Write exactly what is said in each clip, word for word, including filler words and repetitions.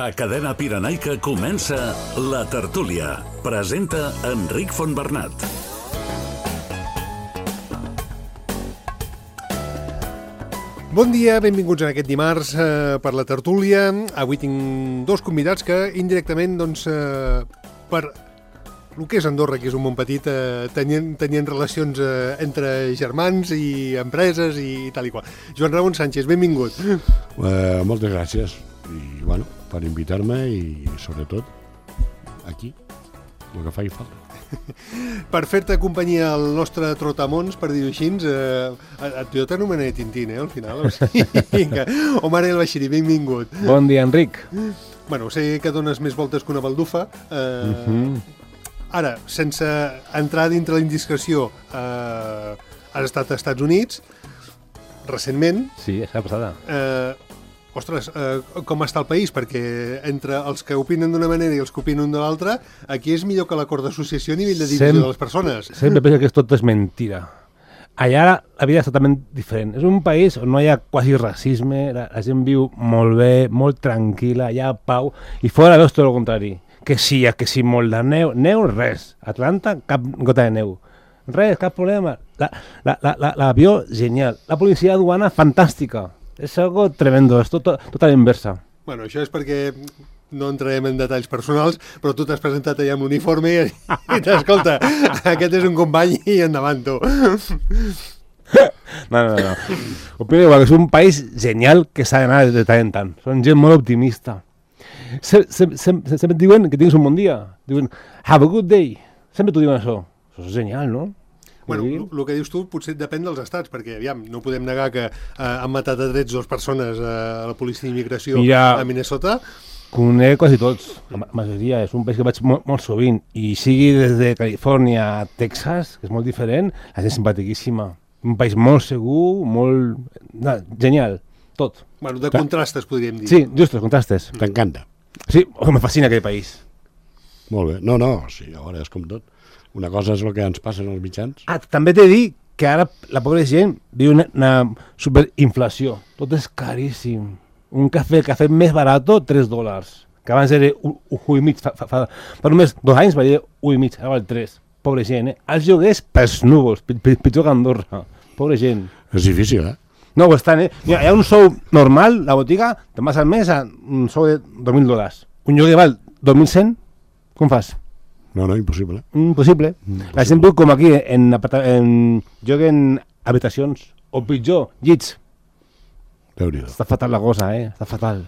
A Cadena Pirenaica comença La Tertúlia. Presenta Enric Fontbernat. Bon dia, benvinguts en aquest dimarts eh, per La Tertúlia. Avui tinc dos convidats que indirectament, doncs, eh, per el que és Andorra, que és un món petit, eh, tenien, tenien relacions eh, entre germans i empreses i tal i qual. Joan Ramon Sánchez, benvingut. Uh, moltes gràcies. I, bueno, per invitar-me i, sobretot, aquí, el que faci falta. Per fer-te companyia al nostre trotamons, per dir-ho així, eh, jo t'anomenaré Tintín, eh, al final. O sigui, vinga. Omar El Bashiri, benvingut. Bon dia, Enric. Bueno, sé que dones més voltes que una baldufa. Eh, Uh-huh. Ara, sense entrar dintre la indiscreció, eh, has estat als Estats Units, recentment. Sí, és la passada. Eh, ostres, eh, com està el país? Perquè entre els que opinen d'una manera i els que opinen de l'altra, aquí és millor que l'acord d'associació a nivell de divisió Sem- de les persones. Sempre penso que tot és mentira. Allà la vida és totalment diferent. És un país on no hi ha quasi racisme, la, la gent viu molt bé, molt tranquil·la, hi ha pau, i fora veus tot el contrari. Que sí, que sí, molt de neu. Neu, res. Atlanta, cap gota de neu. Res, cap problema. La, la, la, la, l'avió, genial. La policia de duana, fantàstica. És algo tremendo, és tot, tot a la inversa. Bueno, això és perquè no entrarem en detalls personals, però tu t'has presentat allà amb l'uniforme i, i t'escolta, aquest és un company i endavant tu. No, no, no. Opino igual, que és un país genial que s'ha d'anar de tant en tant. Són gent molt optimista. Se, se, se, se, sempre et diuen que tinguis un bon dia. Diuen, have a good day. Sempre t'ho diuen això. Això és genial, no? Bueno, el que dius tu potser depèn dels estats, perquè, aviam, no podem negar que eh, han matat a trets dues persones eh, a la policia d'immigració Mira, a Minnesota. Conec quasi tots, la majoria. És un país que vaig molt, molt sovint. I sigui des de Califòrnia a Texas, que és molt diferent, la gent simpatiquíssima. Un país molt segur, molt... No, genial, tot. Bueno, de contrastes, podríem dir. Sí, just, els contrastes. T'encanta. Sí, oh, me fascina aquell país. Molt bé. No, no, sí, a veure, és com tot. Una cosa és el que ens passa en els mitjans. Ah, també t'he dit que ara la pobra gent viu una, una superinflació. Tot és caríssim. Un cafè, el cafè més barat, tres dòlars. Que abans era un, un i mig. Fa, fa, fa, fa només dos anys valia un i mig, ara val tres. Pobra gent, eh? Els lloguers pels núvols, pitjor que Andorra. Pobra gent. És difícil, eh? No ho estan, eh? Mira, hi ha un sou normal, la botiga, te'n vas al mes a un sou de dos mil dòlars. Un lloguer val dos mil cent, com fas? No, no, impossible. Impossible. Impossible. La gent viu com aquí, en, en lloguen habitacions, o pitjor, llits. Déu-n'hi-do. Està fatal la cosa, eh? Està fatal.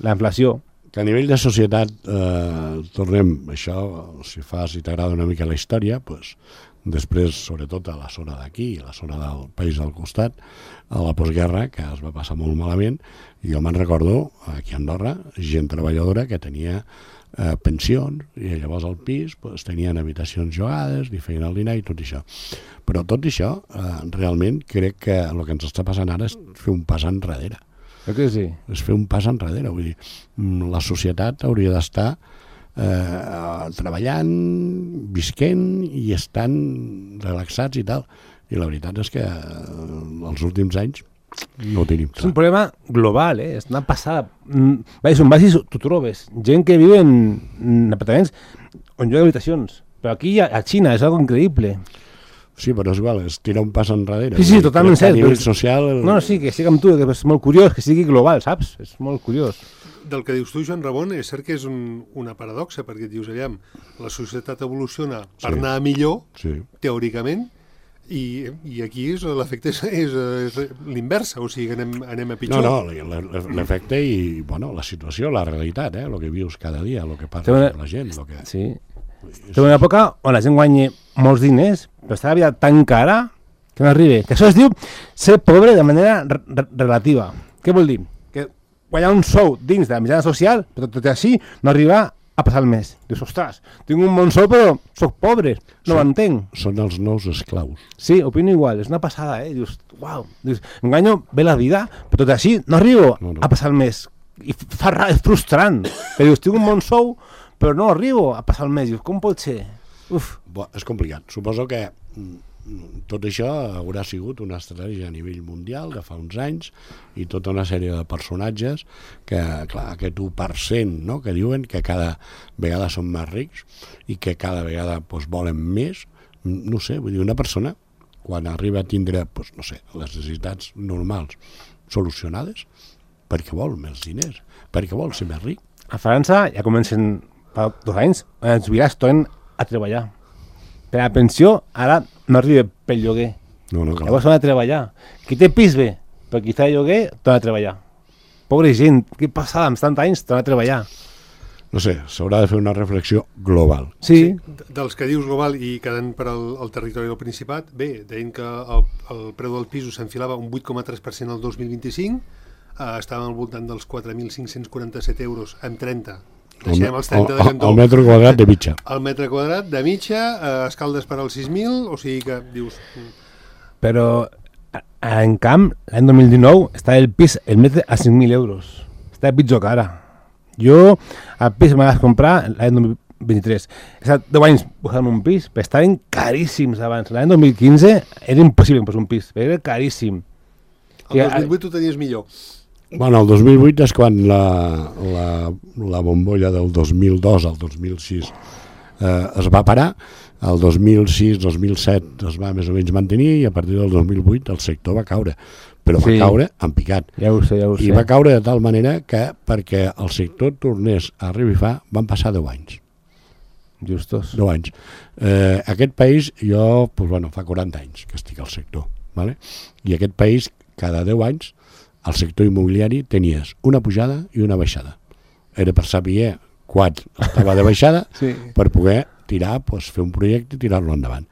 La inflació. Que a nivell de societat, eh, tornem, això, si fa, si t'agrada una mica la història, pues, després, sobretot a la zona d'aquí, a la zona del país del costat, a la postguerra, que es va passar molt malament, i jo me'n recordo, aquí a Andorra, gent treballadora que tenia eh, pensions, i llavors al pis pues, tenien habitacions jugades, li feien el dinar i tot això. Però tot això, eh, realment, crec que el que ens està passant ara és fer un pas enrere. Crec que sí. És fer un pas enrere, vull dir, la societat hauria d'estar eh, treballant, visquent i estan relaxats i tal. I la veritat és que eh, els últims anys no ho tenim clar. És un problema global, eh? És una passada. Mm, Vaig, on vagis, t'ho trobes. Gent que viu en, en apartaments on hi ha habitacions. Però aquí a, a Xina és algo increïble. Sí, però és igual, és tirar un pas enrere. Sí, sí, totalment cert. A nivell Però... social... El... No, no, sí, que sigui amb tu, que és molt curiós, que sigui global, saps? És molt curiós. Del que dius tu, Joan Ramon, és cert que és un, una paradoxa, perquè et dius, aviam, la societat evoluciona per Sí. anar millor, Sí. teòricament, i, i aquí és, l'efecte és, és, és l'inversa, o sigui, anem, anem a No, pitjor. no, l'efecte i, bueno, la situació, la realitat, eh? El que vius cada dia, el que Té parla una- amb la gent, el que... Sí. Té una època on la gent guanya molts diners, però està la vida tan cara que no arriba. Que això es diu ser pobre de manera re re relativa. Què vol dir? Que guanyar un sou dins de la mitjana social, però tot i així no arribar a passar el mes. Dius, ostres, tinc un bon sou però sóc pobre, no ho entenc. Són els nous esclaus. Sí, opino igual, és una passada, eh? Dius, uau, dius, em guanyo bé la vida, però tot i així no arribo No, no. a passar el mes. I fa ra, és frustrant. Però dius, tinc un bon sou, però no arribo a passar el mes. Dius, com pot ser? Uf. Bo, és complicat. Suposo que mm, tot això haurà sigut una estratègia a nivell mundial de fa uns anys i tota una sèrie de personatges que, clar, aquest u per cent, no?, que diuen que cada vegada són més rics i que cada vegada pues, volen més. No sé, vull dir, una persona quan arriba a tindre, pues, no sé, les necessitats normals solucionades, perquè vol més diners, perquè vol ser més ric. A França ja comencen fa dos anys, els jubilats tornen a treballar. Per la pensió, ara no arriba pel lloguer. No, no, clar. Llavors s'ha de treballar. Qui té pis bé, però qui està de lloguer, torna a treballar. Pobre gent, què passava amb tants anys, torna a treballar. No sé, s'haurà de fer una reflexió global. Sí. sí. Dels que dius global i quedant per al, al territori del Principat, bé, deien que el, el preu del piso s'enfilava un vuit coma tres per cent el dos mil vint-i-cinc, eh, estava al voltant dels quatre mil cinc-cents quaranta-set euros amb trenta. Deixem els trenta de cantó. El metre quadrat de mitja. El metre quadrat de mitja, eh, escaldes per als sis mil, o sigui que dius... Però, en camp, l'any dos mil dinou, està el pis, el metre a cinc mil euros. Està pitjor que ara. Jo, el pis me vas comprar l'any dos mil vint-i-tres. He estat deu anys buscant un pis, però estaven caríssims abans. L'any dos mil quinze era impossible posar un pis, però era caríssim. El dos mil vuit ho tenies millor. Bueno, el dos mil vuit és quan la, la, la bombolla del dos mil dos al dos mil sis eh, es va parar, el dos mil sis dos mil set es va més o menys mantenir i a partir del dos mil vuit el sector va caure, però Sí. va caure en picat. Ja ho sé, ja ho sé. I va caure de tal manera que perquè el sector tornés a revifar van passar deu anys. Justos. deu anys. Eh, aquest país, jo, pues, bueno, fa quaranta anys que estic al sector, ¿vale? I aquest país, cada deu anys, al sector immobiliari tenies una pujada i una baixada. Era per saber quan estava de baixada Sí. per poder tirar, pues, fer un projecte i tirar-lo endavant.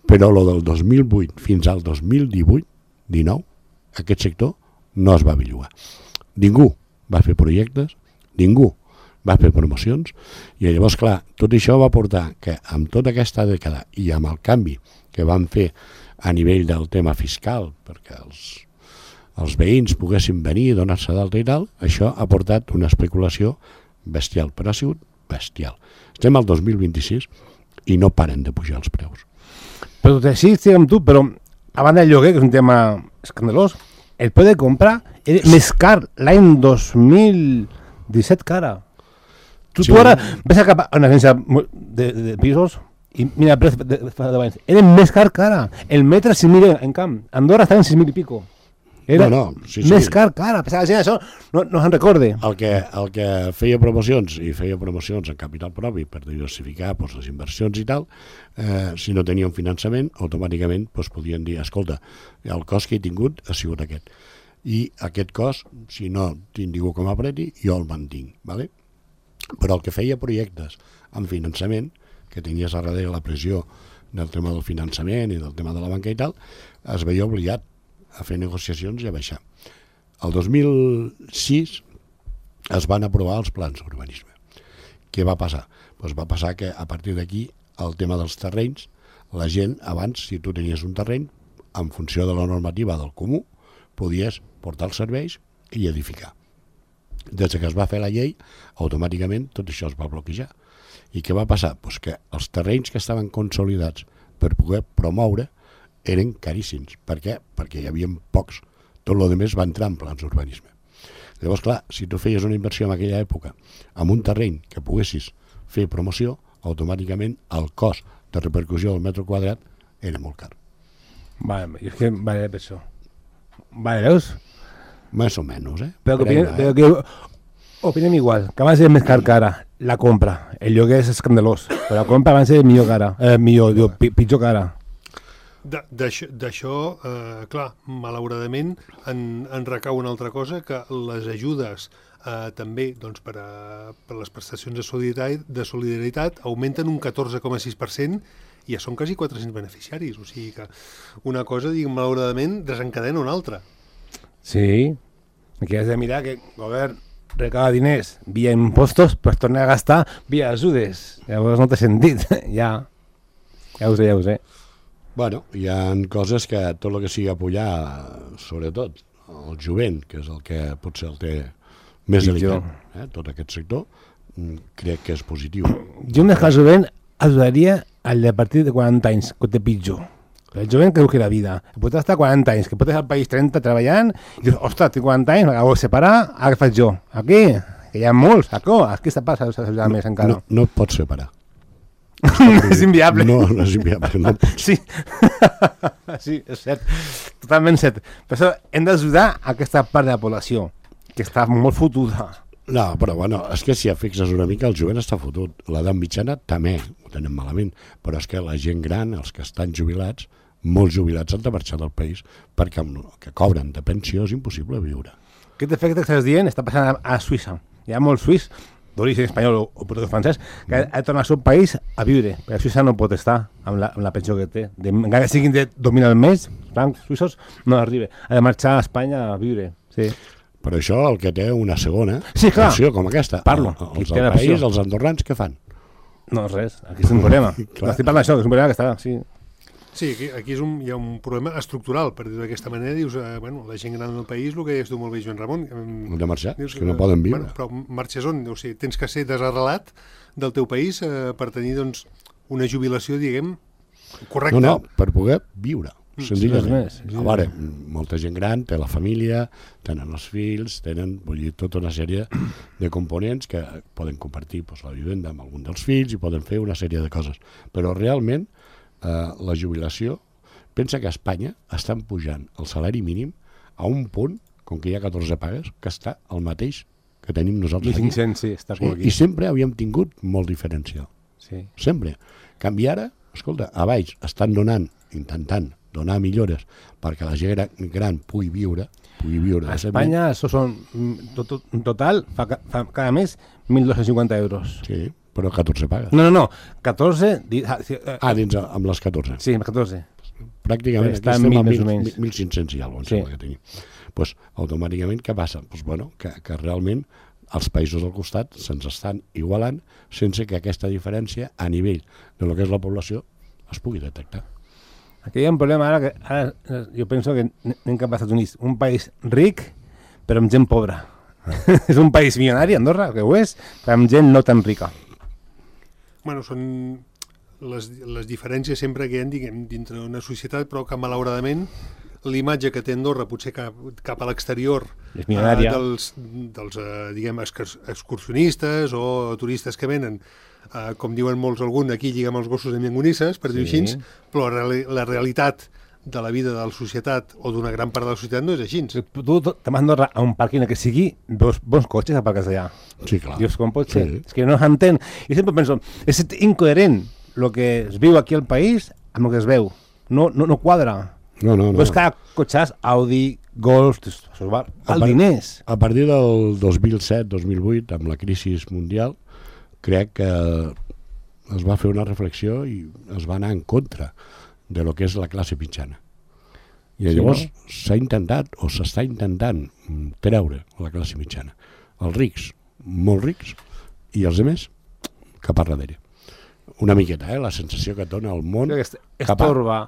Però lo del dos mil vuit fins al dos mil divuit dinou, aquest sector no es va bellugar. Ningú va fer projectes, ningú va fer promocions, i llavors, clar, tot això va portar que amb tota aquesta dècada i amb el canvi que van fer a nivell del tema fiscal, perquè els els veïns poguessin venir, donar-se d'alta i tal, això ha portat una especulació bestial, però ha sigut bestial. Estem al dos mil vint-i-sis i no paren de pujar els preus. Però tot així estic amb tu, però a banda del lloguer, que és un tema escandalós, el preu de comprar era més car l'any dos mil disset que ara. Tu, Sí. tu ara ves a cap a una agència de, de, de pisos i mira el preu de, de, de, de anys. Era més car que ara. El metre cinc mil en camp. Andorra estava en sis mil i pico. Era No, no, sí, sí. més car que ara. Pensava que la gent això no, no se'n recorde. El que, el que feia promocions, i feia promocions en capital propi per diversificar pues, les inversions i tal, eh, si no tenia un finançament, automàticament pues, podien dir, escolta, el cost que he tingut ha sigut aquest. I aquest cost, si no tinc ningú que m'apreti, jo el mantinc. ¿Vale? Però el que feia projectes amb finançament, que tenies a darrere la pressió del tema del finançament i del tema de la banca i tal, es veia obligat a fer negociacions i a baixar. El dos mil sis es van aprovar els plans d'urbanisme. Què va passar? Pues va passar que a partir d'aquí el tema dels terrenys, la gent abans, si tu tenies un terreny, en funció de la normativa del comú, podies portar els serveis i edificar. Des que es va fer la llei, automàticament tot això es va bloquejar. I què va passar? Pues que els terrenys que estaven consolidats per poder promoure eren caríssims. Per què? Perquè hi havia pocs. Tot el que va entrar en plans d'urbanisme. Llavors, clar, si tu feies una inversió en aquella època amb un terreny que poguessis fer promoció, automàticament el cost de repercussió del metre quadrat era molt car. Vale, és que vale per això. Vale, veus? Més o menys, eh? Però que, Per ahí opinem, va, però eh? que opinem igual, que abans era més car que ara, la compra. El lloguer és escandalós, però la compra abans era millor que ara, eh, millor, diu, pi- pitjor que ara. De- D'això, d'això, eh, clar, malauradament en, en recau una altra cosa, que les ajudes eh, també doncs, per, a, per les prestacions de solidaritat, de solidaritat augmenten un catorze coma sis per cent i ja són quasi quatre-cents beneficiaris. O sigui que una cosa, diguem, malauradament, desencadena una altra. Sí, aquí has de mirar que el govern recava diners via impostos, però es torna a gastar via ajudes. Llavors no té sentit, ja. Ja ho sé, ja ho sé. Bueno, hi ha coses que tot el que sigui apoyar, sobretot el jovent, que és el que potser el té més Pitjor. delicat, eh? Tot aquest sector, mm, crec que és positiu. Jo més que el jovent ajudaria al de a partir de quaranta anys, que ho té pitjor. El jovent creu que la vida, pot estar quaranta anys, que pot estar al país trenta treballant, i dius, ostres, tinc quaranta anys, m'acabo de separar, ara què faig jo? Aquí, que hi ha molts, aquí, aquí està passant no, més encara. No, no et pots separar. És inviable. No, no és inviable. No sí. sí, és cert. Totalment cert. Per això hem d'ajudar aquesta part de la població, que està molt fotuda. No, però bueno, és que si et fixes una mica, el jovent està fotut. L'edat mitjana també ho tenen malament, però és que la gent gran, els que estan jubilats, molts jubilats han de marxar del país perquè amb el que cobren de pensió és impossible viure. Aquest efecte que estàs dient està passant a, a Suïssa. Hi ha molts suís, d'origen espanyol o, o portuguès francès, que ha de tornar al seu país a viure, perquè a Suïssa no pot estar amb la, amb la pensió que té. De, encara que siguin de dos mil al mes, francs suïssos, no arriba. Ha de marxar a Espanya a viure. Sí. Per això el que té una segona sí, opció com aquesta, parlo. El, els del país, els andorrans, què fan? No, res, aquí és un problema. Estic parlant d'això, que és un problema que està... Sí. Sí, aquí, aquí és un, hi ha un problema estructural, per dir-ho d'aquesta manera. Dius, eh, bueno, la gent gran del país, el que deies tu molt bé, Joan Ramon... Han de marxar, dius, és que no eh, poden viure. Bueno, però marxes on? O sigui, tens que ser desarrelat del teu país eh, per tenir, doncs, una jubilació, diguem, correcta. No, no, per poder viure, senzillament. Sí, sí, sí. A veure, molta gent gran té la família, tenen els fills, tenen, vull dir, tota una sèrie de components que poden compartir doncs, la vivenda amb algun dels fills i poden fer una sèrie de coses. Però realment, Uh, la jubilació, pensa que a Espanya estan pujant el salari mínim a un punt, com que hi ha catorze pagues, que està el mateix que tenim nosaltres aquí. cinc-cents, sí, està com sí, aquí. I sempre havíem tingut molt diferencial. Sí. Sempre. Canvi ara, escolta, a baix estan donant, intentant donar millores perquè la gent gran pugui viure, pugui viure. A Espanya, això són, en total, fa, fa cada mes mil dos-cents cinquanta euros. Sí, però catorze pagues. No, no, no, catorze... Ah, dins amb les catorze. Sí, amb les catorze. Pràcticament està en mil més o menys. mil cinc-cents i alguna cosa, sí. Que tenim. Pues, automàticament, què passa? Pues, bueno, que, que realment els països del costat se'ns estan igualant sense que aquesta diferència a nivell de lo que és la població es pugui detectar. Aquí hi ha un problema ara que ara jo penso que anem cap als Estats Units, un país ric però amb gent pobra. És un país milionari, Andorra, que ho és, però amb gent no tan rica. Bueno, són les, les diferències sempre que hi ha, diguem, dintre d'una societat, però que malauradament l'imatge que té Andorra, potser cap, cap a l'exterior, és milionària. Eh, dels, dels eh, diguem, excursionistes o turistes que venen, eh, com diuen molts algun, aquí lligam els gossos amb llangonisses, per dir-ho Sí. així, però la, la realitat de la vida de la societat o d'una gran part de la societat no és així. Tu te'n vas a Andorra a un parc que sigui dos bons cotxes aparcats allà. Sí, clar. Dius, com pot ser? Sí. És que no s'entén. I sempre penso, és incoherent el que es viu aquí al país amb el que es veu. No, no, no quadra. No, no, no. Veus cada cotxàs, Audi, Golf, això va al part- diners. A partir del dos mil set dos mil vuit, amb la crisi mundial, crec que es va fer una reflexió i es va anar en contra de lo que és la classe mitjana. I Sí, llavors no? s'ha intentat, o s'està intentant, mm, treure la classe mitjana. Els rics, molt rics, i els altres, cap a darrere. Una miqueta, eh? La sensació que et dona el món Crec que es cap a... torba.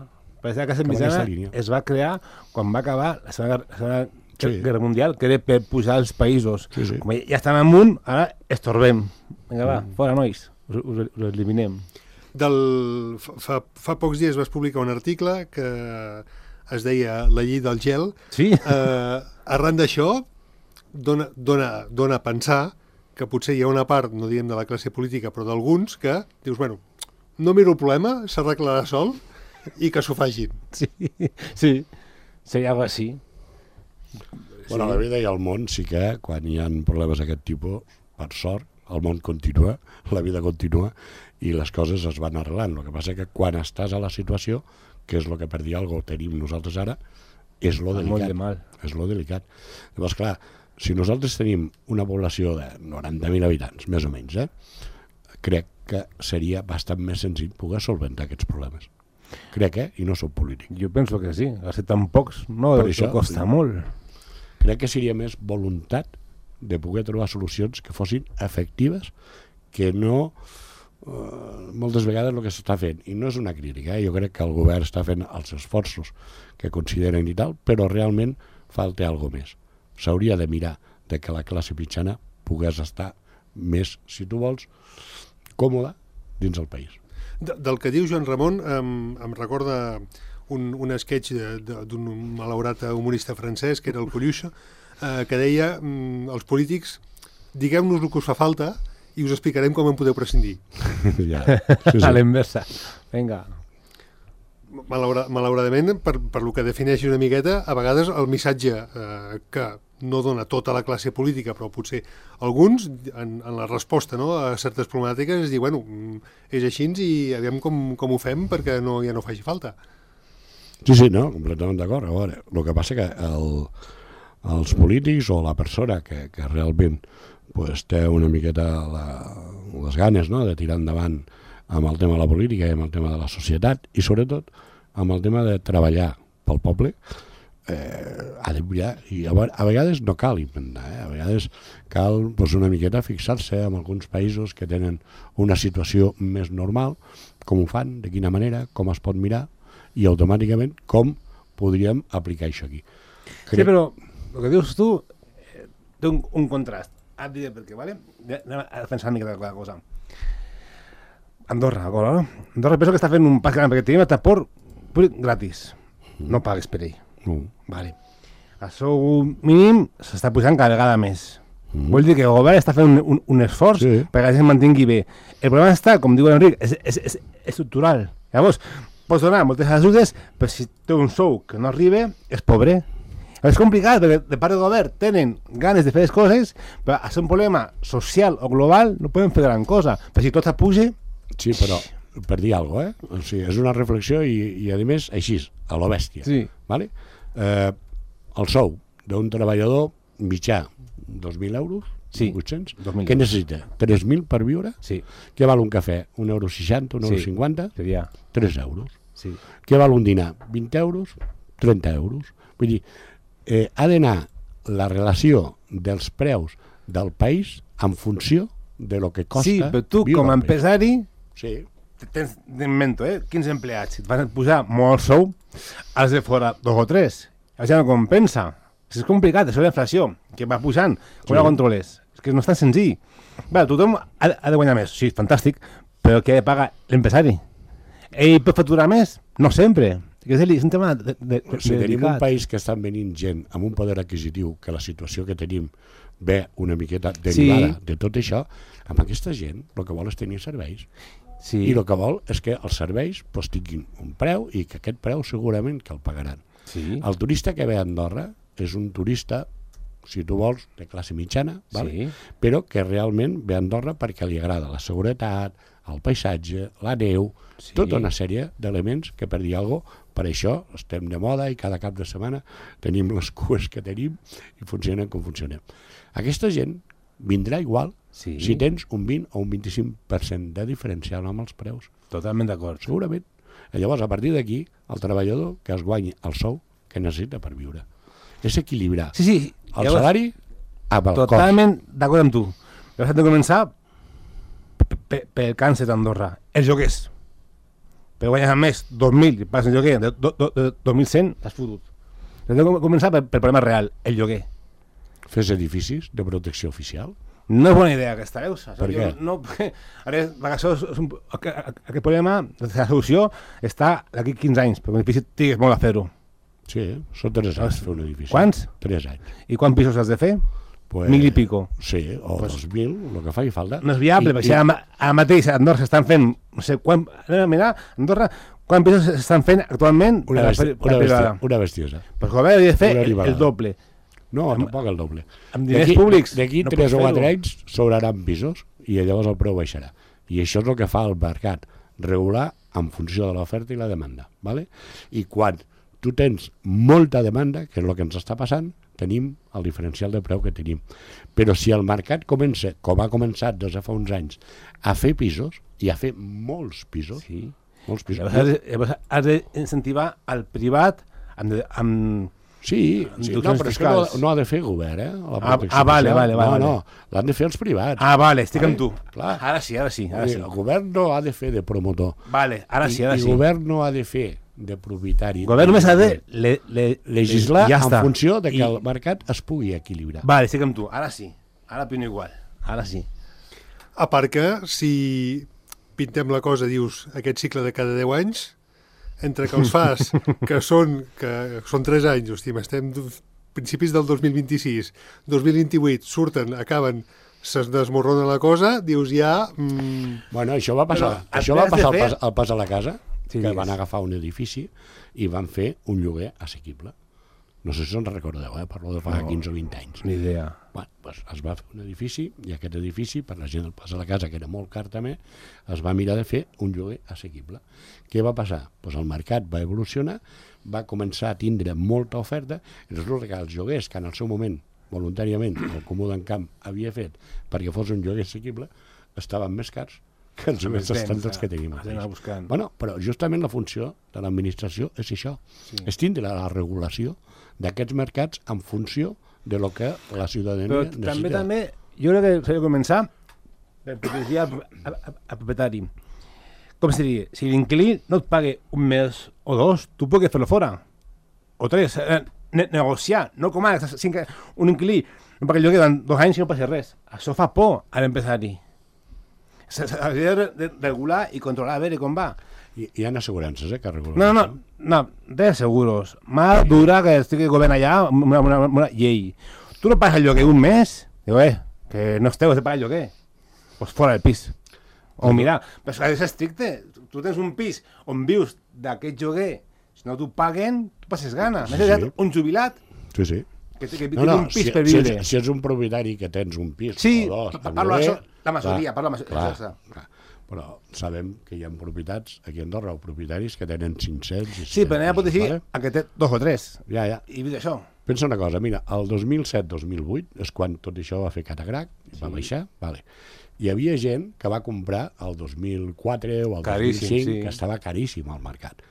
Perquè la classe cap a mitjana aquesta línia. es va crear quan va acabar la Segona, la segona Sí. Guerra Mundial, que era per pujar els països. Sí, sí. Com ja estan amunt, ara estorbem. Vinga, va, fora, nois, us, us, us eliminem. Del, fa, fa pocs dies vas publicar un article que es deia La llei del gel. Sí. Eh, arran d'això, dona, dona, dona a pensar que potser hi ha una part, no diguem de la classe política, però d'alguns, que dius, bueno, no miro el problema, s'arreglarà sol i que s'ho facin. Sí, sí. Seria algo així. Bueno, la vida i el món sí que quan hi ha problemes d'aquest tipus, per sort, el món continua, la vida continua i les coses es van arreglant. El que passa que quan estàs a la situació, que és el que per dir alguna cosa tenim nosaltres ara, és lo delicat. Molt de mal. És lo delicat. Llavors, clar, si nosaltres tenim una població de noranta mil habitants, més o menys, eh, crec que seria bastant més senzill poder solventar aquests problemes. Crec, eh? I no soc polític. Jo penso que sí. A ser tan pocs, no, Per això això, costa sí. molt. Crec que seria més voluntat de poder trobar solucions que fossin efectives, que no eh, moltes vegades el que s'està fent, i no és una crítica, eh? Jo crec que el govern està fent els esforços que consideren i tal, però realment falta alguna més. S'hauria de mirar de que la classe mitjana pogués estar més, si tu vols, còmoda dins el país. De, del que diu Joan Ramon em, em recorda un, un sketch d'un malaurat humorista francès, que era el Coluche, eh, que deia mm, els polítics, digueu-nos el que us fa falta i us explicarem com en podeu prescindir. Ja. Sí, sí. A l'inversa. Vinga. Malaura, malauradament, per, per lo que defineixi una miqueta, a vegades el missatge eh, que no dona tota la classe política, però potser alguns, en, en la resposta, no, a certes problemàtiques, es diu, bueno, és així i aviam com, com ho fem perquè no, ja no faci falta. Sí, sí, no, completament d'acord. A veure, el que passa que el, els polítics o la persona que, que realment pues, té una miqueta la, les ganes, no?, de tirar endavant amb el tema de la política i amb el tema de la societat i sobretot amb el tema de treballar pel poble, eh, ha de mirar, i a, a vegades no cal inventar, eh? A vegades cal pues, una miqueta fixar-se en alguns països que tenen una situació més normal, com ho fan, de quina manera, com es pot mirar i automàticament com podríem aplicar això aquí. Crec... Sí, però el que dius tu eh, té un, un contrast. Et diré per què, vale? Anem a pensar una mica de cada cosa. Andorra, d'acord, no? Andorra penso que està fent un pas gran perquè tenim el transport públic gratis. No pagues per ell. Mm. Vale. El sou mínim s'està pujant cada vegada més. Mm. Vol dir que el govern està fent un, un, un esforç sí. perquè la gent mantingui bé. El problema està, com diu l'Enric, és, és, és, és estructural. Llavors, pots donar moltes ajudes, però si té un sou que no arriba, és pobre. És complicat, perquè de part del govern tenen ganes de fer les coses, però és un problema social o global, no poden fer gran cosa. Però si tot s'apuja... Sí, però per dir alguna cosa, eh? O sigui, és una reflexió i, i a més, així, a lo bèstia. Sí. Vale? Eh, el sou d'un treballador mitjà, dos mil euros, sí. vuit-cents, dos mil què necessita? tres mil per viure? Sí. Què val un cafè? un euro seixanta, un euro sí. cinquanta? Seria... tres euros. Sí. Què val un dinar? vint euros? trenta euros. Vull dir, eh, ha d'anar la relació dels preus del país en funció de lo que costa... Sí, però tu, com a empresari, sí. tens, t'invento, eh, quinze empleats, si et van posar molt sou, has de fora dos o tres. Això no compensa. És complicat, això de la inflació, que va pujant, com sí. la controles. És que no és tan senzill. Bé, tothom ha, ha de guanyar més, sí, fantàstic, però què ha de pagar l'empresari? Ell pot facturar més? No sempre. És un tema de, de, de, si tenim un país que estan venint gent amb un poder adquisitiu, que la situació que tenim ve una miqueta derivada sí. de tot això, amb aquesta gent el que vol és tenir serveis. Sí. I el que vol és que els serveis pues, tinguin un preu i que aquest preu segurament que el pagaran. Sí. El turista que ve a Andorra és un turista, si tu vols, de classe mitjana, vale? Sí. Però que realment ve a Andorra perquè li agrada la seguretat, el paisatge, la neu, sí. tota una sèrie d'elements que, per dir alguna cosa, per això estem de moda i cada cap de setmana tenim les cues que tenim i funcionen com funcionem. Aquesta gent vindrà igual sí. si tens un vint o un vint-i-cinc per cent de diferencial amb els preus. Totalment d'acord. Segurament. I llavors, a partir d'aquí, el treballador que es guanyi el sou que necessita per viure. És equilibrar sí, sí. el llavors, salari amb el cost. Totalment d'acord amb tu. Llavors hem de començar pel càncer d'Andorra. Els lloguers. Per guanyar més dos mil, pas el lloguer, de, de, de, de dos mil cent, has fotut. Hem de començar pel, pel problema real, el lloguer. Fes edificis de protecció oficial? No és bona idea aquesta, veus? Per què? No, ara, això és un, aquest problema, la solució està d'aquí quinze anys, perquè un edifici tigues molt a fer-ho. Sí, són tres anys fer un edifici. Quants? Tres anys. I quants pisos has de fer? Pues, mil i pico. Sí, o pues, dos mil, el que faci falta. No és viable, perquè ara, ara mateix a Andorra s'estan fent, no sé, quan, anem a mirar, a Andorra, quants pisos s'estan fent actualment una, besti per, per una, bestia, una bestiesa. Pues el govern hauria de fer el, el doble. No, amb, tampoc el doble. Amb diners públics. D'aquí no tres o quatre anys sobraran pisos i llavors el preu baixarà. I això és el que fa el mercat, regular en funció de l'oferta i la demanda. ¿Vale? I quan tu tens molta demanda, que és el que ens està passant, tenim el diferencial de preu que tenim. Però si el mercat comença, com ha començat des de fa uns anys, a fer pisos, i a fer molts pisos, sí. molts pisos. Llavors, llavors has d'incentivar el privat amb... amb sí, sí no, però és que no, no ha de fer govern, eh? La ah, ah, vale, vale, vale. No, no, l'han de fer els privats. Ah, vale, estic vale, amb tu. Clar. Ara sí, ara sí. Ara sí. El govern no ha de fer de promotor. Vale, ara sí, ara I, sí. I el govern no ha de fer de propietari. El govern només ha de le, le, legislar ja en està. funció de que I... el mercat es pugui equilibrar. Vale, estic amb tu. Ara sí. Ara opino igual. Ara sí. A part que, si pintem la cosa, dius, aquest cicle de cada deu anys, entre que els fas, que són, que són tres anys, hòstia, estem principis del dos mil vint-i-sis, dos mil vint-i-vuit, surten, acaben, se's desmorrona la cosa, dius ja... Mm... Bueno, això va passar, Però, això va passar al fer... pas, al pas a la casa, sí, que digues. van agafar un edifici i van fer un lloguer assequible. No sé si us en recordeu, eh? Parlo de fa no, quinze o vint anys. Ni idea. Bueno, doncs es va fer un edifici i aquest edifici, per la gent del pas a la casa, que era molt car també, es va mirar de fer un lloguer assequible. Què va passar? Pues el mercat va evolucionar, va començar a tindre molta oferta i resulta que els lloguers que en el seu moment, voluntàriament, el Comú d'Encamp havia fet perquè fos un lloguer assequible, estaven més cars que els lloguers estàndards que tenim. Bueno, però justament la funció de l'administració és això, sí. és tindre la regulació d'aquests mercats en funció de lo que la ciutadania però necessita. També, també, jo crec que s'ha de començar per protegir al, al, al propietari. Com se diria? Si l'inquilí no et paga un mes o dos, tu pots fer-lo fora. O tres. Eh, ne negociar. No com ara, un inquilí no paga el lloguer durant dos anys i no passa res. Això fa por a l'empresari. S'ha de regular i controlar a veure com va. Hi, hi ha assegurances, eh, que regulen. No, no, no, de seguros. M'ha dura que estigui el govern allà amb una, una, una llei. Tu no pagues el lloguer un mes, diu, eh, que no esteu de pagar el lloguer. Pues fora del pis. O mira, però és que és estricte. Tu tens un pis on vius d'aquest lloguer, si no t'ho paguen, tu passes gana. Sí, M'has sí. un jubilat Sí, sí. que, que, que No, no, té un pis si, per si, viure. ets, si ets un propietari que tens un pis Sí, o dos, parlo lloguer, això, la majoria, clar, parlo la majoria. clar, clar. Però sabem que hi ha propietats aquí a Andorra o propietaris que tenen cinc-cents... Sí, però n'hi ha protegir vale? a que té dos o tres. Ja, ja. I viu d'això. Pensa una cosa, mira, el dos mil set dos mil vuit és quan tot això va fer catagrac, sí. va baixar, vale. Hi havia gent que va comprar el dos mil quatre o el Caríssim, dos mil cinc, sí. que estava caríssim al mercat.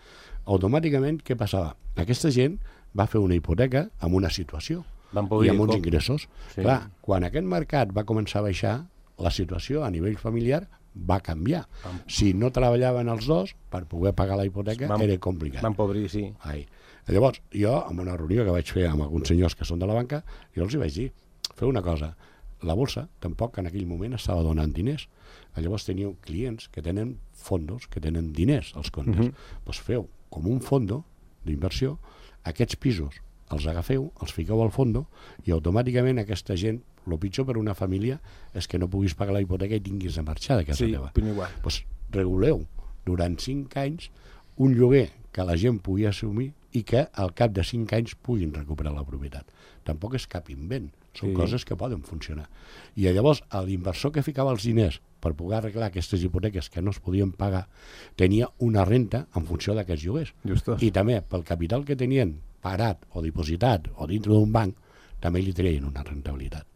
Automàticament, què passava? Aquesta gent va fer una hipoteca amb una situació Van i amb uns com... ingressos. Sí. Clar, quan aquest mercat va començar a baixar, la situació a nivell familiar va canviar. Van... Si no treballaven els dos, per poder pagar la hipoteca van... era complicat. Van pobrir, sí. Ai. Llavors, jo, en una reunió que vaig fer amb alguns senyors que són de la banca, jo els hi vaig dir, feu una cosa, la bolsa tampoc en aquell moment estava donant diners. Llavors teníeu clients que tenen fondos, que tenen diners als comptes. Doncs uh -huh. pues feu com un fondo d'inversió, aquests pisos els agafeu, els fiqueu al fondo i automàticament aquesta gent, el pitjor per una família és que no puguis pagar la hipoteca i tinguis de marxar de casa sí, teva. igual. Pues reguleu durant cinc anys un lloguer que la gent pugui assumir i que al cap de cinc anys puguin recuperar la propietat. Tampoc és cap invent, són sí. coses que poden funcionar. I llavors l'inversor que ficava els diners per poder arreglar aquestes hipoteques que no es podien pagar tenia una renta en funció d'aquests lloguers. Justos. I també pel capital que tenien parat o dipositat o dintre d'un banc també li treien una rentabilitat.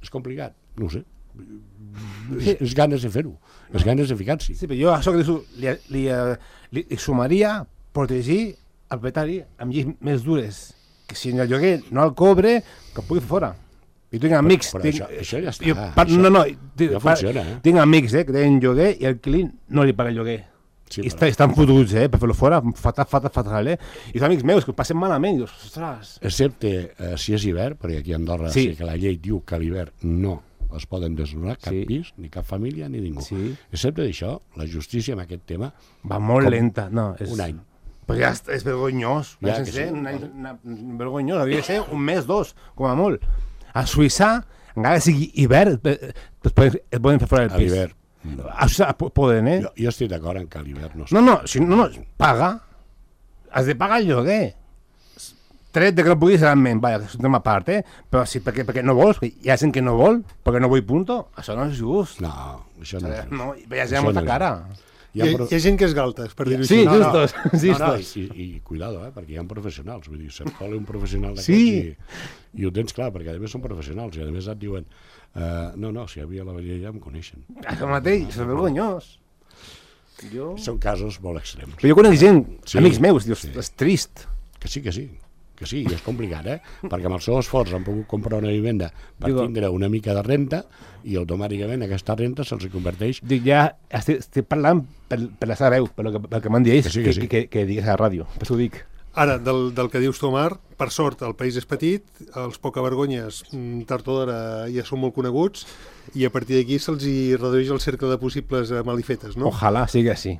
És complicat? No ho sé. Sí. És, és ganes de fer-ho, és ganes de ficar-s'hi. Sí, però jo això que dius, li, li, li, li sumaria protegir el propietari amb lleis més dures, que si el lloguer no el cobre, que el pugui fer fora. I tinc amics... Però, però tinc, això, això ja està. jo, pa, això, no, no, tinc, ja funciona, eh? Tinc amics eh, que tenen lloguer i el client no li paga el lloguer. Sí, I però... està, estan fotuts, eh, per fer-lo fora, fatal, fatal, fatal, eh? I són amics meus que ho passen malament, i dius, ostres... Excepte eh, si és hivern, perquè aquí a Andorra sí. sí que la llei diu que a l'hivern no es poden desnonar cap sí. pis, ni cap família, ni ningú. Sí. Excepte d'això, la justícia en aquest tema... Va molt com lenta, no. És... Un any. Però ja és, és vergonyós, Ja ja, que ser, sí. un any, una, vergonyós, hauria de ser un mes, dos, com a molt. A Suïssa, encara que sigui hivern, es poden, es poden fer fora del A pis. l'hivern. A Suïssa poden, eh? Jo, jo estic d'acord en que a l'hivern no... No, no, si no, no, paga. Has de pagar el lloguer. Tret de que no puguis realment, vaja, és un tema a part, eh? Però si perquè, perquè no vols, hi ha gent que no vol, perquè no vull punto, això no és just. No, això no és just. No, hi ha gent Això amb molta no és cara. Hi ha, hi ha gent que és galtes, per dir-ho Sí, així. no, no. justos, No, justos. no, i, i cuidado, eh, perquè hi ha professionals, vull dir, se't cola un professional d'aquests Sí. i, i ho tens clar, perquè a més són professionals i a més et diuen uh, no, no, si hi havia la veria ja em coneixen. Això mateix, és vergonyós. Jo... Són casos molt extrems. Però jo conec gent, Sí, amics meus, dius, sí. és trist. Que sí, que sí, que sí, i és complicat, eh? Perquè amb el seu esforç han pogut comprar una vivenda per Digo, tindre una mica de renta i automàticament aquesta renta se'ls converteix... Dic, ja estic, estic parlant per, per la seva veu, per lo que, pel que m'han dit ells, Que sí, que, que sí. que, que, que digues a la ràdio. Per això ho dic. Ara, del, del que dius tu, Omar, per sort, el país és petit, els pocavergonyes, mm, tard o d'hora, ja són molt coneguts, i a partir d'aquí se'ls hi redueix el cercle de possibles eh, malifetes, no? Ojalà sigui així.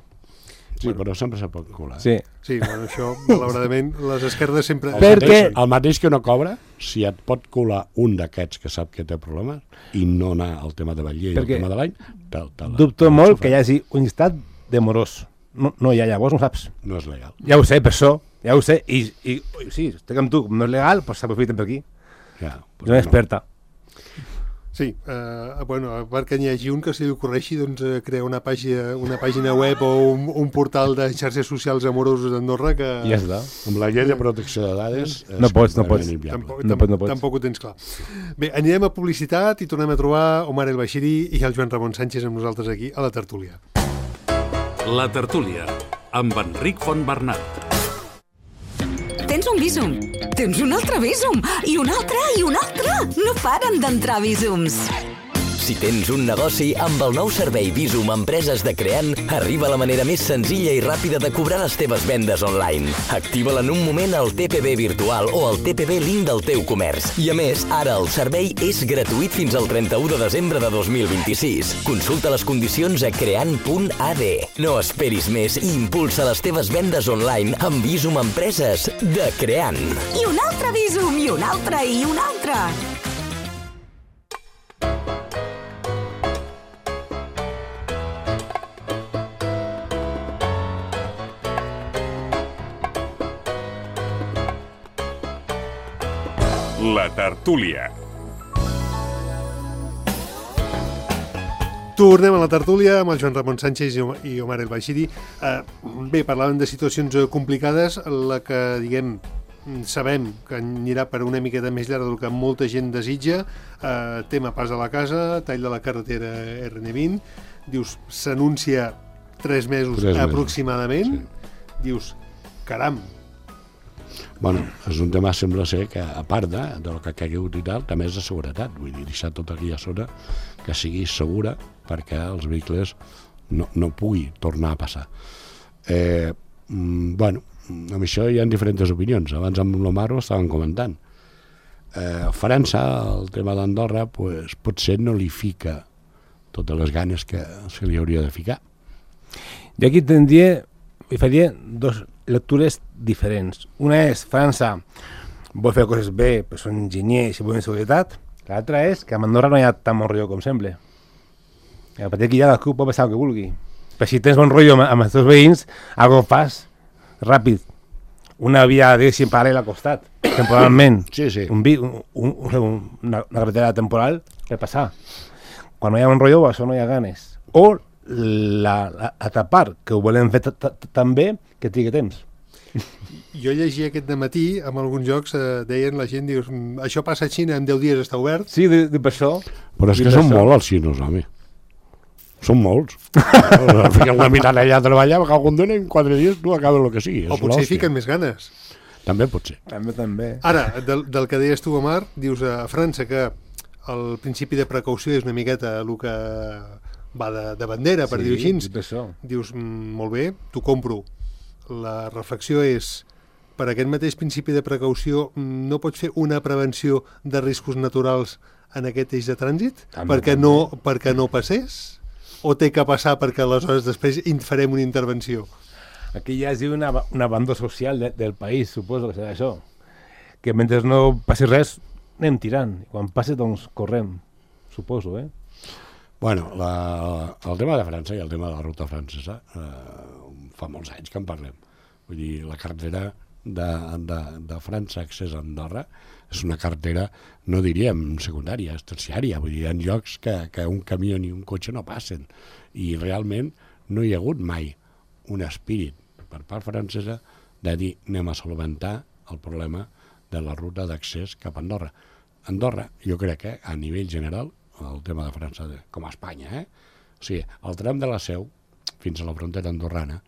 Sí, bueno, però sempre se pot colar. Sí. Sí, bueno, això, malauradament, les esquerdes sempre... El, Perquè- mateix, el mateix que no cobra, si et pot colar un d'aquests que sap que té problemes i no anar al tema de Batlle i al Perquè tema de l'any, te, te la- Dubto te la molt xufra. que hi hagi un llistat de morós. No, no hi ha, llavors no saps. No és legal. Ja ho sé, per això, ja ho sé. I, i sí, estic amb tu, com no és legal, doncs s'aprofiten per aquí. Ja, És una experta. Sí, eh, bueno, a part que n'hi hagi un que se li ocorreixi doncs, eh, crear una pàgina, una pàgina web o un, un portal de xarxes socials amorosos d'Andorra que... I ja està. Amb la llei de protecció de dades... és No pots, no completament pots. inviable. Tampoc, No tam pots, no pots. tampoc ho tens clar. Bé, anirem a publicitat i tornem a trobar Omar El Bashiri i el Joan Ramon Sánchez amb nosaltres aquí a la tertúlia. La tertúlia, amb Enric Fontbernat. Tens un Bizum, tens un altre Bizum, i un altre, i un altre. No paren d'entrar Bizums. Si tens un negoci, amb el nou servei Bizum Empreses de Creant, arriba la manera més senzilla i ràpida de cobrar les teves vendes online. Activa-la en un moment al T P B virtual o al T P B link del teu comerç. I a més, ara el servei és gratuït fins al trenta-u de desembre de dos mil vint-i-sis. Consulta les condicions a creant punt a d. No esperis més i impulsa les teves vendes online amb Bizum Empreses de Creant. I un altre Bizum, i un altre, i un altre. La tertúlia. Tornem a la tertúlia amb el Joan Ramon Sánchez i Om- i Omar El Bashiri. Eh, bé, parlàvem de situacions eh, complicades, la que, diguem, sabem que anirà per una miqueta més llarga del que molta gent desitja. Eh, tema pas a la casa, tall de la carretera R N vint. Dius, s'anuncia tres mesos Tres mesos, aproximadament. Dius, caram, Bueno, és un tema, sembla ser, que a part de, del que ha caigut i tal, també és de seguretat. Vull dir, deixar tota aquella zona que sigui segura perquè els vehicles no, no pugui tornar a passar. Eh, mm, bueno, amb això hi ha diferents opinions. Abans amb l'Omar ho estàvem comentant. Eh, França, el tema d'Andorra, pues, potser no li fica totes les ganes que se li hauria de ficar. Jo aquí tindria, hi faria dos lectures diferents. Una és França vol fer coses bé, però són enginyers i volen seguretat. L'altra és que a Andorra no hi ha tan bon rotllo com sembla. I a partir d'aquí ja la CUP pot passar el que vulgui. Però si tens bon rotllo amb, amb els teus veïns, algo fas ràpid. Una via, diguéssim, paral·lela al costat, temporalment. Sí, sí. Un vi, un, un, un, una, una carretera temporal per passar. Quan no hi ha bon rotllo, això no hi ha ganes. O la, la, l'altra part, que ho volem fer tan bé que trigui temps. jo llegia aquest dematí, amb alguns jocs eh, deien la gent, dius, "Mm, això passa a Xina, en deu dies està obert." Sí, de, de per això. Però és I que per són això- molts els xinos, home. Són molts. Fiquen una mirada allà a treballar, que algun dia en quatre dies tu acabes el que sigui. O és potser hi l'hòstia. fiquen més ganes. També pot ser. També, també. Ara, del, del que deies tu, Omar, dius a França que el principi de precaució és una miqueta el que va de, de bandera, per dir-ho així. per això. Dius, mm, molt bé, t'ho compro. La reflexió és, per aquest mateix principi de precaució, mm, no pots fer una prevenció de riscos naturals en aquest eix de trànsit? També, perquè, també. no, perquè no passés? O té que passar perquè aleshores després en farem una intervenció? Aquí hi hagi una, un abandó social de, del país, suposo que serà això. Que mentre no passi res, anem tirant. I quan passi, doncs, correm. Suposo, eh? Bueno, la, el tema de França i el tema de la ruta francesa eh, fa molts anys que en parlem. Vull dir, la carretera de, de, de França accés a Andorra és una carretera, no diríem secundària, és terciària. Vull dir, hi ha llocs que, que un camió ni un cotxe no passen. I realment no hi ha hagut mai un espírit per part francesa de dir anem a solventar el problema de la ruta d'accés cap a Andorra. Andorra, jo crec que a nivell general, el tema de França, de, com a Espanya, eh? O sigui, el tram de la Seu fins a la frontera andorrana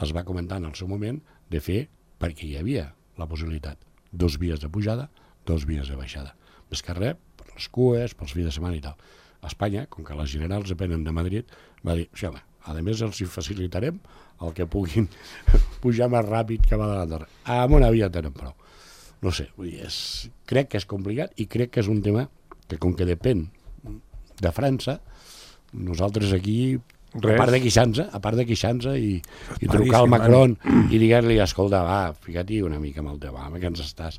es va comentar en el seu moment de fer, perquè hi havia la possibilitat, dos vies de pujada, dos vies de baixada. Més que res, per les cues, pels fills de setmana i tal. Espanya, com que les generals depenen de Madrid, va dir, sí, home, a més els hi facilitarem el que puguin pujar més ràpid que va de l'Andorra. Amb una via tenen prou. No sé, vull dir, és, crec que és complicat i crec que és un tema que, com que depèn de França, nosaltres aquí A part de queixar-se, a part de queixar-se i, i trucar al Macron i dir-li, escolta, va, fica't-hi una mica amb el teu, va, que ens estàs.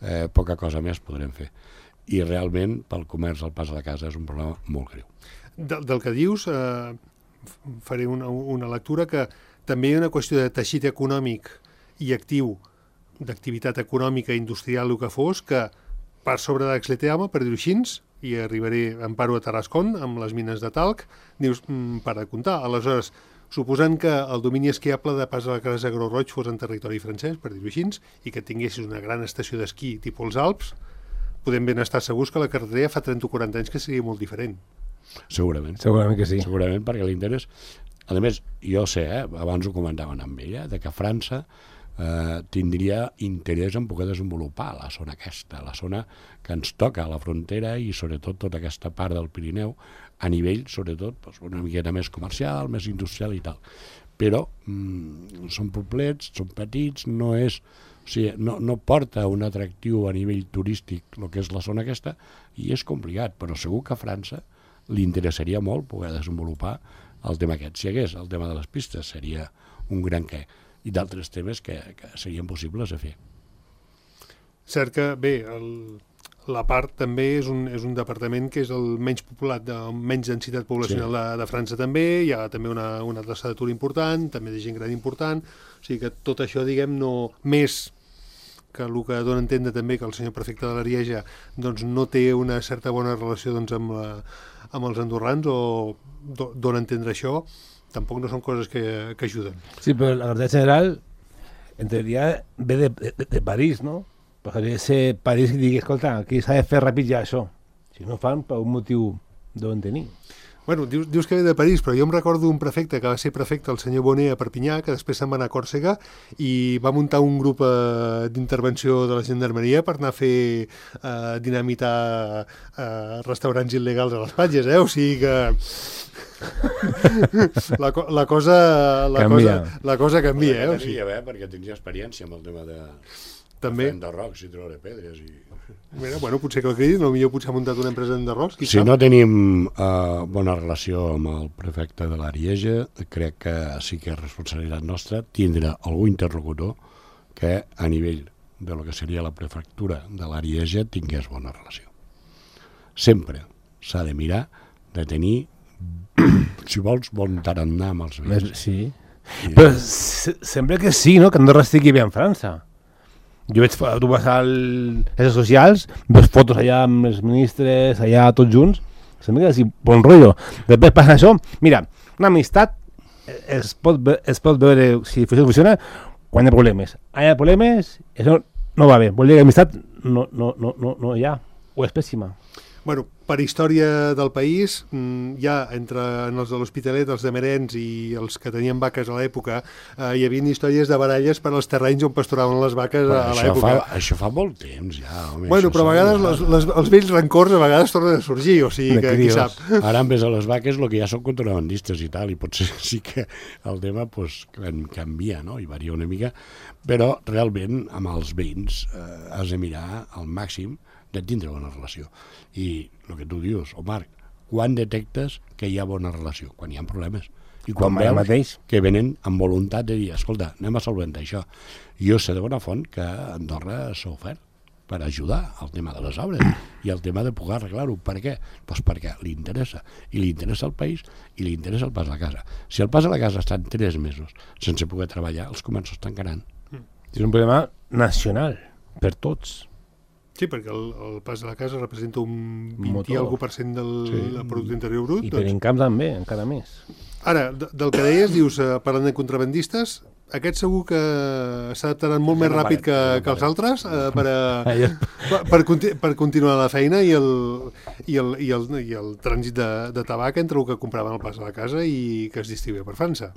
Eh, poca cosa més podrem fer. I realment, pel comerç, el pas a la casa és un problema molt greu. Del, del que dius, eh, faré una, una lectura que també hi ha una qüestió de teixit econòmic i actiu, d'activitat econòmica i industrial, el que fos, que per sobre d'Axleteama, per dir-ho així, i arribaré, em paro a Tarascon, amb les mines de talc, dius, mm, per a comptar. Aleshores, suposant que el domini esquiable de Pas a la Casa Gros Roig fos en territori francès, per dir-ho així, i que tinguessis una gran estació d'esquí tipus els Alps, podem ben estar segurs que la carretera fa trenta o quaranta anys que seria molt diferent. Segurament. Segurament que sí. Segurament, perquè l'interès... A més, jo sé, eh, abans ho comentaven amb ella, de que França eh, tindria interès en poder desenvolupar la zona aquesta, la zona que ens toca a la frontera i sobretot tota aquesta part del Pirineu a nivell, sobretot, doncs, una miqueta més comercial, més industrial i tal. Però mm, són poblets, són petits, no és... O sigui, no, no porta un atractiu a nivell turístic el que és la zona aquesta i és complicat, però segur que a França li interessaria molt poder desenvolupar el tema aquest. Si hi hagués el tema de les pistes seria un gran què, i d'altres temes que, que serien possibles de fer. Cert que, bé, el, la part també és un, és un departament que és el menys populat, de menys densitat poblacional sí. de, de França també, hi ha també una, una taxa d'atur important, també de gent gran important, o sigui que tot això, diguem, no més que el que dona a entendre també que el senyor prefecte de l'Arieja doncs, no té una certa bona relació doncs, amb, la, amb els andorrans o do, dona a entendre això, tampoc no són coses que, que ajuden. Sí, però la verdad general, en teoria, ve de, de, de París, no? Podria ser París i digui, escolta, aquí s'ha de fer ràpid ja això. Si no fan, per un motiu deuen tenir. Bueno, dius, dius que ve de París, però jo em recordo un prefecte que va ser prefecte, el senyor Bonet, a Perpinyà, que després se'n va anar a Còrsega i va muntar un grup eh, d'intervenció de la gendarmeria per anar a fer eh, dinamitar eh, restaurants il·legals a les platges, eh? O sigui que la, la cosa la canvia. cosa, la cosa canvia, eh? O sigui... Tenia, eh? Perquè tenia experiència amb el tema de... També. De rocs i treure pedres i... Mira, bueno, potser que el cridin, potser potser ha muntat una empresa de rocs, qui Si sap? no tenim uh, bona relació amb el prefecte de l'Arieja, crec que sí que és responsabilitat nostra tindre algú interlocutor que a nivell de lo que seria la prefectura de l'Arieja tingués bona relació. Sempre s'ha de mirar de tenir, si vols, bon tarannà amb els veïns. Sí. I però se sembla que sí, no? Que Andorra estigui bé en França. Jo veig, tu vas a les xarxes socials, veus fotos allà amb els ministres, allà tots junts, sembla que és bon rotllo. Després passa això, mira, una amistat es pot, es pot veure si funciona quan hi ha problemes. Hi ha problemes, això no va bé, vol dir que l'amistat no, no, no, no, no hi ha, o és pèssima. Bueno, per història del país, ja entre els de l'Hospitalet, els de Merens i els que tenien vaques a l'època, eh, hi havia històries de baralles per als terrenys on pasturaven les vaques però a això l'època. Fa, això fa molt temps, ja. Home, bueno, però a vegades les, les, els vells rancors a vegades tornen a sorgir, o sigui que qui sap. Ara en vez de les vaques, el que ja són contrabandistes i tal, i potser sí que el tema pues, canvia, no? I varia una mica, però realment amb els veïns eh, has de mirar al màxim de tindre bona relació. I el que tu dius, oh Marc, quan detectes que hi ha bona relació? Quan hi ha problemes. I quan Com veus mateix. que venen amb voluntat de dir, escolta, anem a solventar això. Jo sé de bona font que Andorra s'ha ofert per ajudar al tema de les obres i al tema de poder arreglar-ho. Per què? Pues perquè li interessa. I li interessa el país i li interessa el pas a la casa. Si el pas a la casa està en tres mesos sense poder treballar, els comerços tancaran. És un problema nacional, per tots. Sí, perquè el, el pas a la casa representa un vint Motor. i alguna per cent del sí. producte interior brut. I per Doncs. Encamp també, encara més. Ara, de, del que deies, dius, eh, parlant de contrabandistes, aquest segur que s'adaptaran molt més ràpid que, que els altres eh, per, a, per, per, conti per continuar la feina i el, i el, i el, i el trànsit de, de tabac entre el que compraven al pas a la casa i que es distribuïa per França.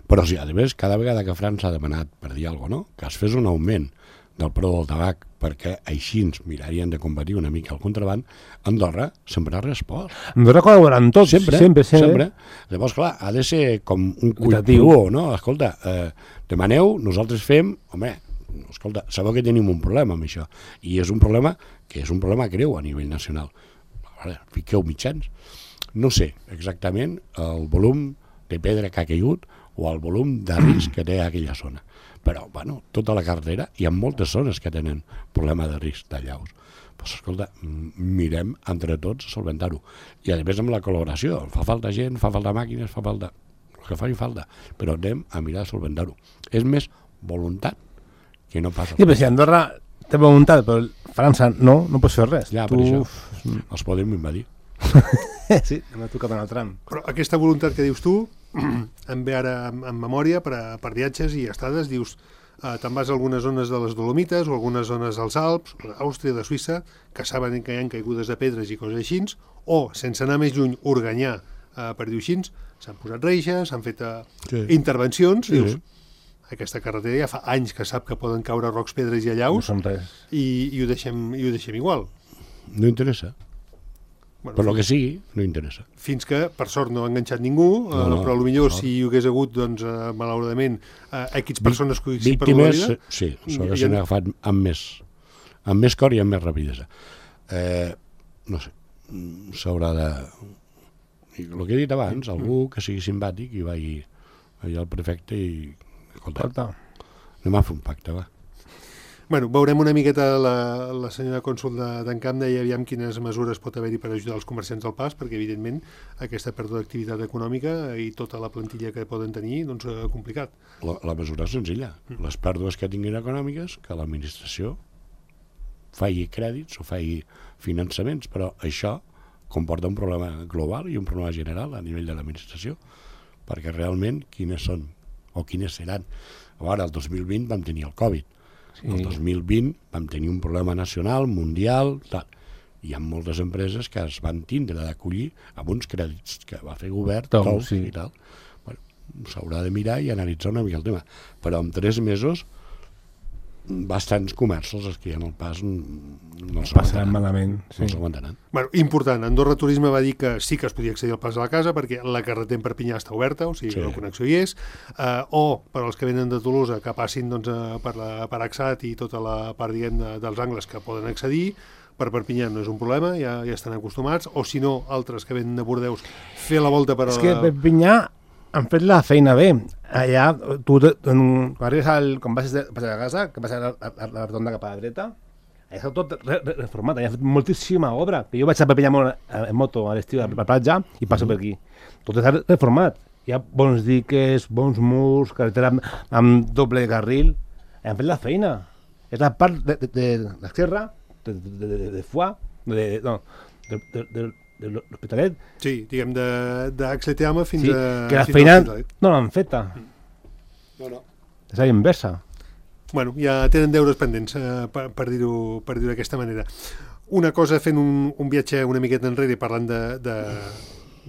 Però sí, a més, cada vegada que França ha demanat, per dir alguna cosa, no? Que es fes un augment del preu del tabac perquè així ens mirarien de combatir una mica el contraband, Andorra sempre ha respost. Andorra col·laboren tots, sempre, sempre, sempre. sempre. Llavors, clar, ha de ser com un cuitatiu, no? Escolta, eh, demaneu, nosaltres fem, home, escolta, sabeu que tenim un problema amb això, i és un problema que és un problema greu a nivell nacional. Vale, fiqueu mitjans. No sé exactament el volum de pedra que ha caigut o el volum de risc que té aquella zona. Però, bueno, tota la carretera, hi ha moltes zones que tenen problema de risc d'allaus. Pues, escolta, mirem entre tots solventar-ho. I a més amb la col·laboració, fa falta gent, fa falta màquines, fa falta el que faci falta, però anem a mirar de solventar-ho. És més voluntat que no passa. Sí, però si Andorra té voluntat, però França no, no pots fer res. Ja, tu... per això, els podem invadir. Sí, m'ha tocat en el tram. Però aquesta voluntat que dius tu, em ve ara en, en memòria per, a, per viatges i estades, dius, eh, te'n vas a algunes zones de les Dolomites o algunes zones dels Alps, d'Àustria, de Suïssa, que saben que hi ha caigudes de pedres i coses així, o, sense anar més lluny, Organyà, eh, per dir-ho així, s'han posat reixes, s'han fet eh, sí. intervencions, sí. Dius, aquesta carretera ja fa anys que sap que poden caure rocs, pedres i allaus, no són res. I, i, ho deixem, i ho deixem igual. No interessa. Bueno, per lo que sigui, no interessa. Fins que, per sort, no ha enganxat ningú, no, no, eh, però potser no. Si hi hagués hagut, doncs, eh, malauradament, eh, X persones que hi perdut la vida... Sí, s'haguessin ha... agafat amb més, amb més cor i amb més rapidesa. Eh, no sé, s'haurà de... El que he dit abans, algú que sigui simpàtic i vagi allà al prefecte i... Escolta, anem a fer un pacte, va. Bueno, veurem una miqueta la, la senyora cònsol d'Encamp deia aviam quines mesures pot haver-hi per ajudar els comerciants del pas, perquè evidentment aquesta pèrdua d'activitat econòmica i tota la plantilla que poden tenir, doncs eh, complicat. La, la mesura és senzilla. Mm. Les pèrdues que tinguin econòmiques, que l'administració faci crèdits o faci finançaments, però això comporta un problema global i un problema general a nivell de l'administració, perquè realment quines són o quines seran. Ara, el dos mil vint vam tenir el Covid. Sí. El dos mil vint vam tenir un problema nacional, mundial, tal. Hi ha moltes empreses que es van tindre d'acollir amb uns crèdits que va fer govern, Tom, tous sí. i tal. Bueno, s'haurà de mirar i analitzar una mica el tema. Però en tres mesos bastants comerços els que hi ha al pas no els passaran malament. Sí. No s'aguantaran. Bueno, important, Andorra Turisme va dir que sí que es podia accedir al pas de la casa perquè la carretera en Perpinyà està oberta, o sigui, sí. La connexió hi és, eh, o per als que venen de Tolosa que passin doncs, per, la, per Axat i tota la part diguem, de, dels angles que poden accedir, per Perpinyà no és un problema, ja, ja estan acostumats, o si no, altres que venen de Bordeus, fer la volta per... És que Perpinyà han fet la feina bé. Allà, tu, quan arribes al... quan vas a la casa, que vas a la, a la rotonda cap a la dreta, allà està tot re, re, reformat, allà ha fet moltíssima obra. Que jo vaig a Perpinyà en moto a l'estiu a la platja i passo per aquí. Tot està reformat. Hi ha bons diques, bons murs, carretera amb, amb doble carril. Han fet la feina. És la part de, de, de l'esquerra, de, de, de, de, de Foix, de, no, de, de, de, de l'Hospitalet. Sí, diguem, d'Axleteama fins sí, a... que la feina no l'han feta. No, no. És la inversa. Bueno, ja tenen deures pendents, eh, per, per dir-ho per dir-ho d'aquesta manera. Una cosa, fent un, un viatge una miqueta enrere, parlant de, de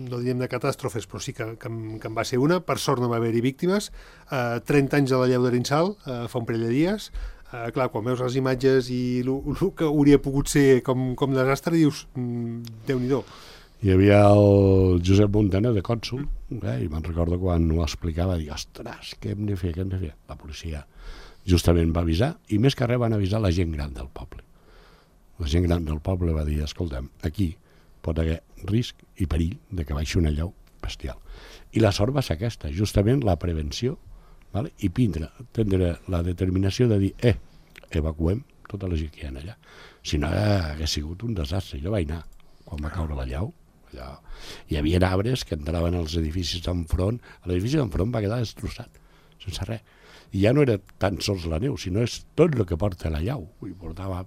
no diem de catàstrofes, però sí que, que, que en va ser una. Per sort no va haver-hi víctimes. Eh, trenta anys de la llau d'Arinsal, eh, fa un parell de dies. Uh, clar, quan veus les imatges i el que hauria pogut ser com, com desastre, dius, mm, Déu-n'hi-do. Hi havia el Josep Montana de cònsol, eh, i me'n recordo quan ho explicava, dic, ostres, què hem de fer, què hem de fer? La policia justament va avisar, i més que res van avisar la gent gran del poble. La gent gran del poble va dir, escolta'm, aquí pot haver risc i perill de que baixi una llau bestial. I la sort va ser aquesta, justament la prevenció, vale? I prendre, prendre la determinació de dir, eh, evacuem tota la gent que hi ha allà. Si no, hagués sigut un desastre. Jo vaig anar, quan va caure la llau, allà, hi havia arbres que entraven als edificis d'enfront, l'edifici d'enfront va quedar destrossat, sense res. I ja no era tan sols la neu, sinó és tot el que porta la llau. Vull, portava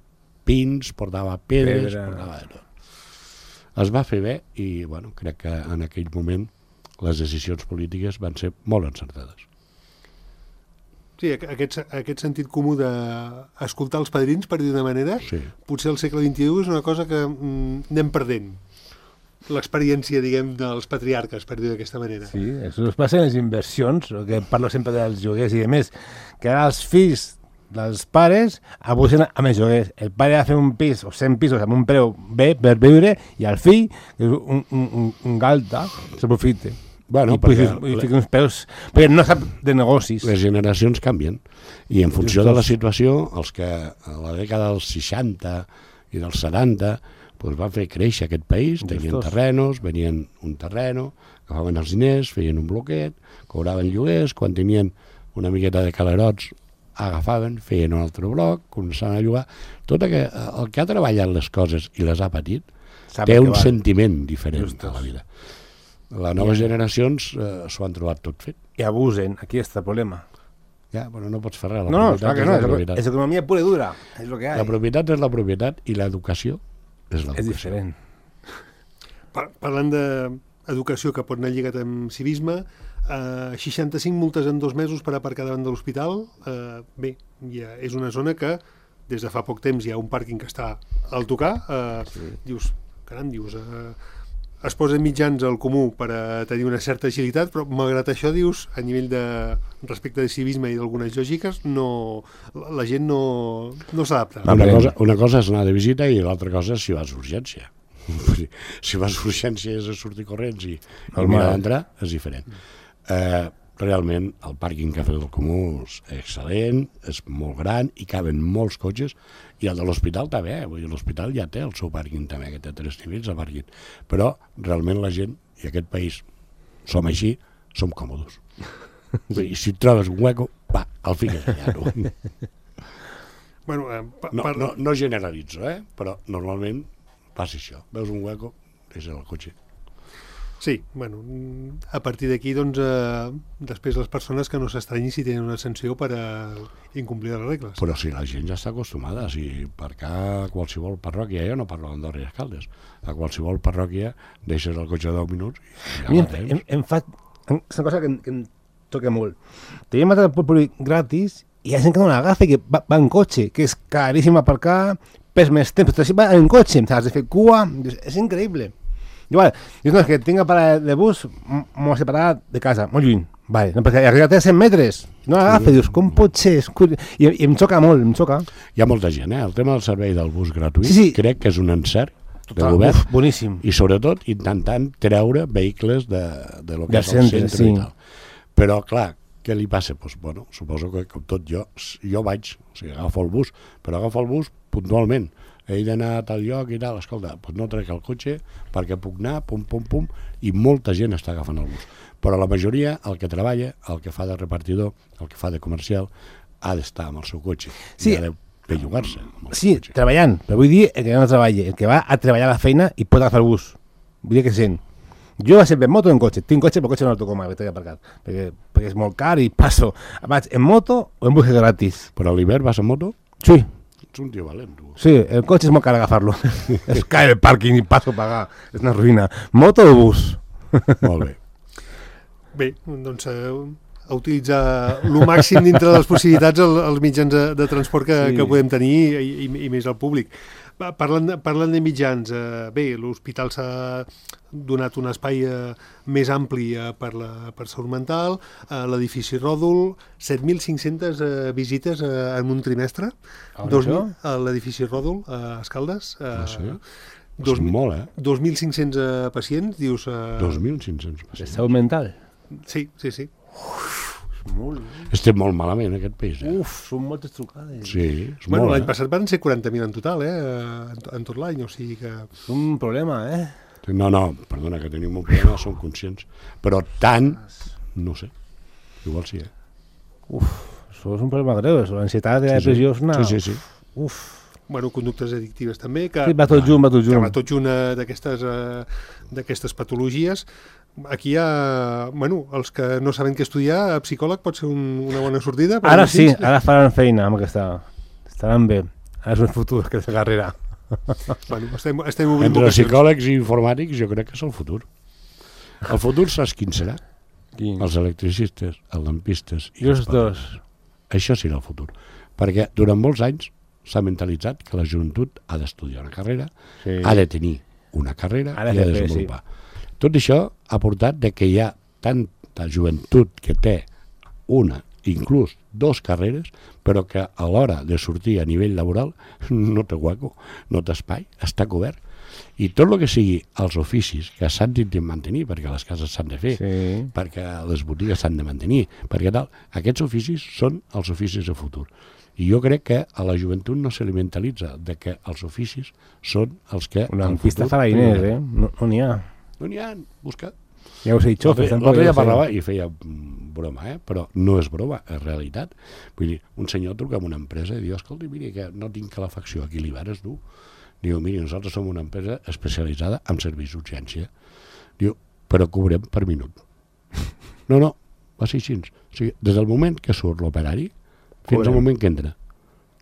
pins, portava pedres, Pedra. portava de tot. Es va fer bé i, bueno, crec que en aquell moment les decisions polítiques van ser molt encertades. Sí, aquest, aquest sentit comú d'escoltar els padrins, per dir d'una manera, sí. Potser al segle vint-i-u és una cosa que mm, anem perdent. L'experiència, diguem, dels patriarques, per dir d'aquesta manera. Sí, això es passa en les inversions, que parlo sempre dels lloguers i de més, que ara els fills dels pares abusen amb els lloguers. El pare ha de fer un pis o cent pisos amb un preu bé per viure i el fill, que és un, un, un, un galta, s'aprofita. Bueno, i perquè fica uns peus, perquè no sap de negocis. Les generacions canvien i en funció de la situació, els que a la dècada dels seixanta i dels setanta doncs van fer créixer aquest país, tenien terrenos, venien un terreno, agafaven els diners, feien un bloquet, cobraven lloguers, quan tenien una miqueta de calerots agafaven, feien un altre bloc, començaven a llogar. Tot el que, el que ha treballat les coses i les ha patit, té un sentiment diferent a la vida. Les noves generacions eh, s'ho han trobat tot fet. I abusen, aquí està el problema. Ja, però no pots fer res. No, no, clar que no, és economia pura i dura, és el que hi ha. La propietat és la propietat i l'educació és l'educació. És diferent. Par Parlant d'educació que pot anar lligat amb civisme, eh, seixanta-cinc multes en dos mesos per aparcar davant de l'hospital. Eh, bé, ja és una zona que des de fa poc temps hi ha un pàrquing que està al tocar. Eh, sí. Dius, caram, dius... Eh, es posen mitjans al comú per a tenir una certa agilitat, però malgrat això, dius, a nivell de respecte de civisme i d'algunes lògiques, no, la gent no, no s'adapta. Una cosa, una cosa és anar de visita i l'altra cosa és si vas d'urgència. Si vas d'urgència és a sortir corrents i, i mirar d'entrar, és diferent. Eh, realment, el pàrquing que ha fet el comú és excel·lent, és molt gran i caben molts cotxes, i el de l'hospital també, eh? L'hospital ja té el seu pàrquing també, que té tres nivells de pàrquing, però realment la gent, i aquest país som així, som còmodos. I si et trobes un hueco, va, el fiques allà. No, bueno, eh, no, no, no generalitzo, eh? Però normalment passa això, veus un hueco, deixes el cotxe. Sí, bueno, a partir d'aquí, doncs, eh, després les persones que no s'estranyin si tenen una sanció per a incomplir les regles. Però si la gent ja està acostumada, si per cá a qualsevol parròquia, jo no parlo d'Andorra i Escaldes, a qualsevol parròquia deixes el cotxe deu minuts i ja Mira, em, em fa... És una cosa que, que em toca molt. Tenim el públic gratis i hi ha gent que no l'agafa i que va, va en cotxe, que és caríssim aparcar, pes més temps, però si va en cotxe, has de fer cua, és increïble. Igual, dius, no, és que tinc a parar de bus molt separat de casa, molt lluny. Vale, no, perquè arribat a cent metres, no l'agafa, dius, com pot ser? I, I em xoca molt, em xoca. Hi ha molta gent, eh? El tema del servei del bus gratuït, sí, sí. Crec que és un encert Total, de govern. Uf, boníssim. I sobretot intentant treure vehicles de, de lo que de és el centre, sí. I tal. Però, clar, què li passa? Pues, bueno, suposo que com tot jo, jo vaig, o sigui, agafo el bus, però agafo el bus puntualment. He d'anar a tal lloc i tal, escolta, doncs no trec el cotxe perquè puc anar, pum, pum, pum, i molta gent està agafant el bus. Però la majoria, el que treballa, el que fa de repartidor, el que fa de comercial, ha d'estar amb el seu cotxe. Sí. I ha de bellugar-se. Sí, cotxe. Treballant, però vull dir el que no treballa, el que va a treballar a la feina i pot agafar el bus. Vull dir que sent. Jo sempre en moto o en cotxe. Tinc cotxe, però cotxe no el toco mai, que t'he aparcat, perquè, perquè és molt car i passo. Vaig en moto o en bus gratis. Però a l'hivern vas en moto? Sí. Ets un tio valent, tu. Sí, el cotxe és molt car agafar-lo. Es cae el pàrquing i passo a pagar. És una ruïna. Moto o bus? Molt bé. Bé, doncs eh, a utilitzar el màxim dintre de les possibilitats el, els mitjans de, de transport que, sí. que podem tenir i, i, i més al públic. Parlant de, parlant de mitjans, eh, bé, l'hospital s'ha donat un espai eh, més ampli eh, per la per salut mental, eh, l'edifici Ròdol, set mil cinc-centes eh, visites eh, en un trimestre, dos mil a l'edifici Ròdol, a Escaldes. Eh, ah, sí? dos, és molt, eh? dos mil cinc-cents eh, pacients, dius... Eh, dos mil cinc-cents pacients. De salut mental? Sí, sí, sí. Uf, molt... Estem molt malament, aquest país, eh? Uf, són moltes trucades. Sí, és bueno, molt, l'any eh? passat van ser quaranta mil en total, eh? En, en tot l'any, o sigui que... És un problema, eh? No, no, perdona, que tenim un problema, som conscients. Però tant, no sé, igual sí, eh? Uf, això és un problema greu, l'ansietat i la depressió és una... Sí, sí, sí. Uf. Bueno, conductes addictives també, que... Sí, va tot junt, va tot junt. Que va tot junt d'aquestes eh, d'aquestes patologies. Aquí hi ha... Bueno, els que no saben què estudiar, psicòleg pot ser un, una bona sortida? Ara sí, ara faran feina amb aquesta... Estaran bé. Ara és un futur, aquesta carrera. Bueno, estem, estem obrint Entre vocacions. psicòlegs i informàtics jo crec que és el futur. El futur saps quin serà? Quin? Els electricistes, els lampistes i els dos. Això serà el futur. Perquè durant molts anys s'ha mentalitzat que la joventut ha d'estudiar una carrera, sí. ha de tenir una carrera i ha de desenvolupar. Sí. Tot això ha portat de que hi ha tanta joventut que té una, inclús dos carreres, però que a l'hora de sortir a nivell laboral no té hueco, no té espai, està cobert. I tot el que sigui els oficis que s'han de mantenir, perquè les cases s'han de fer, Sí. perquè les botigues s'han de mantenir, perquè tal, aquests oficis són els oficis de futur. I jo crec que a la joventut no se li mentalitza de que els oficis són els que... Una al pista futur fariner, tindrem. eh? No no n'hi ha. No n'hi ha, busca. Ja ho sé, xofes. tampoc, L'altre ja dia ho sé. parlava i feia mm, broma, eh? Però no és broma, és realitat. Vull dir, un senyor truca a una empresa i diu, escolta, miri, que no tinc calefacció, aquí l'hivern és dur. Diu, miri, nosaltres som una empresa especialitzada en serveis d'urgència. Diu, però cobrem per minut. No, no, va ser així. O sigui, des del moment que surt l'operari fins Cobrem. al moment que entra.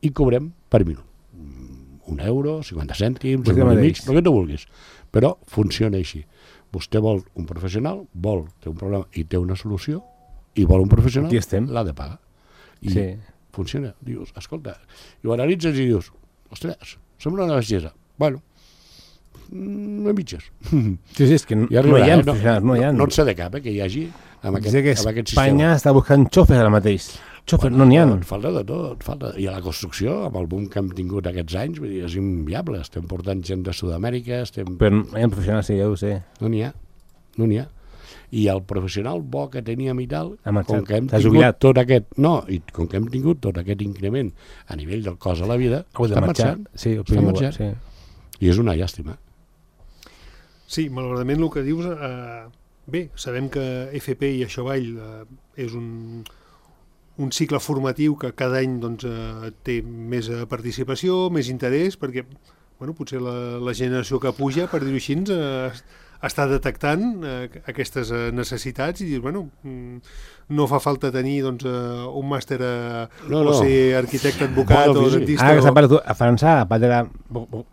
I cobrem per minut. Mm, Un euro, cinquanta cèntims, Vostè un euro i mateix. mig, el que tu vulguis. Però funciona així. Vostè vol un professional, vol, té un problema i té una solució, i vol un professional, Aquí estem. l'ha de pagar. I Sí. funciona. Dius, escolta, i ho analitzes i dius, ostres, sembla una bestiesa. Bueno, mm, a mitges. Sí, sí, és que no, Ja no hi ha arribarà, eh? professionals, no hi ha. No, no en sé de cap, eh, que hi hagi amb aquest, Sé que amb aquest Espanya sistema. està buscant xofes ara mateix. Xofes, no n'hi ha. Falta de tot, falta. I a la construcció, amb el boom que hem tingut aquests anys, vull dir, és inviable. Estem portant gent de Sud-amèrica, estem... Però no hi ha professionals, sí, ja ho sé. No n'hi ha, no n'hi ha. I el professional bo que teníem i tal, Ha marxat, com que hem s'ha tingut jubilat. tot aquest... No, i com que hem tingut tot aquest increment a nivell del cost de la vida, Ha hagut de està marxar. marxant. Sí, Està opino igual, marxant. sí. I és una llàstima. Sí, malauradament el que dius... Eh, bé, sabem que F P i això avall eh, és un, un cicle formatiu que cada any doncs, eh, té més eh, participació, més interès, perquè bueno, potser la, la generació que puja, per dir-ho així, eh, està detectant eh, aquestes eh, necessitats i dir, bueno, mm, no fa falta tenir doncs, eh, un màster eh, No, o no. ser arquitecte, advocat Bueno, o sí, sí. dentista. Ahora que se o... ha parado a Francia, la patria,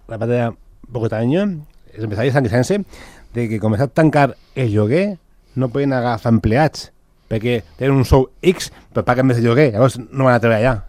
la patria Bogotaño, els empresaris han queixant-se de que com s'ha tancar el lloguer no poden agafar empleats perquè tenen un sou X però paguen més de lloguer, llavors no van a treballar allà.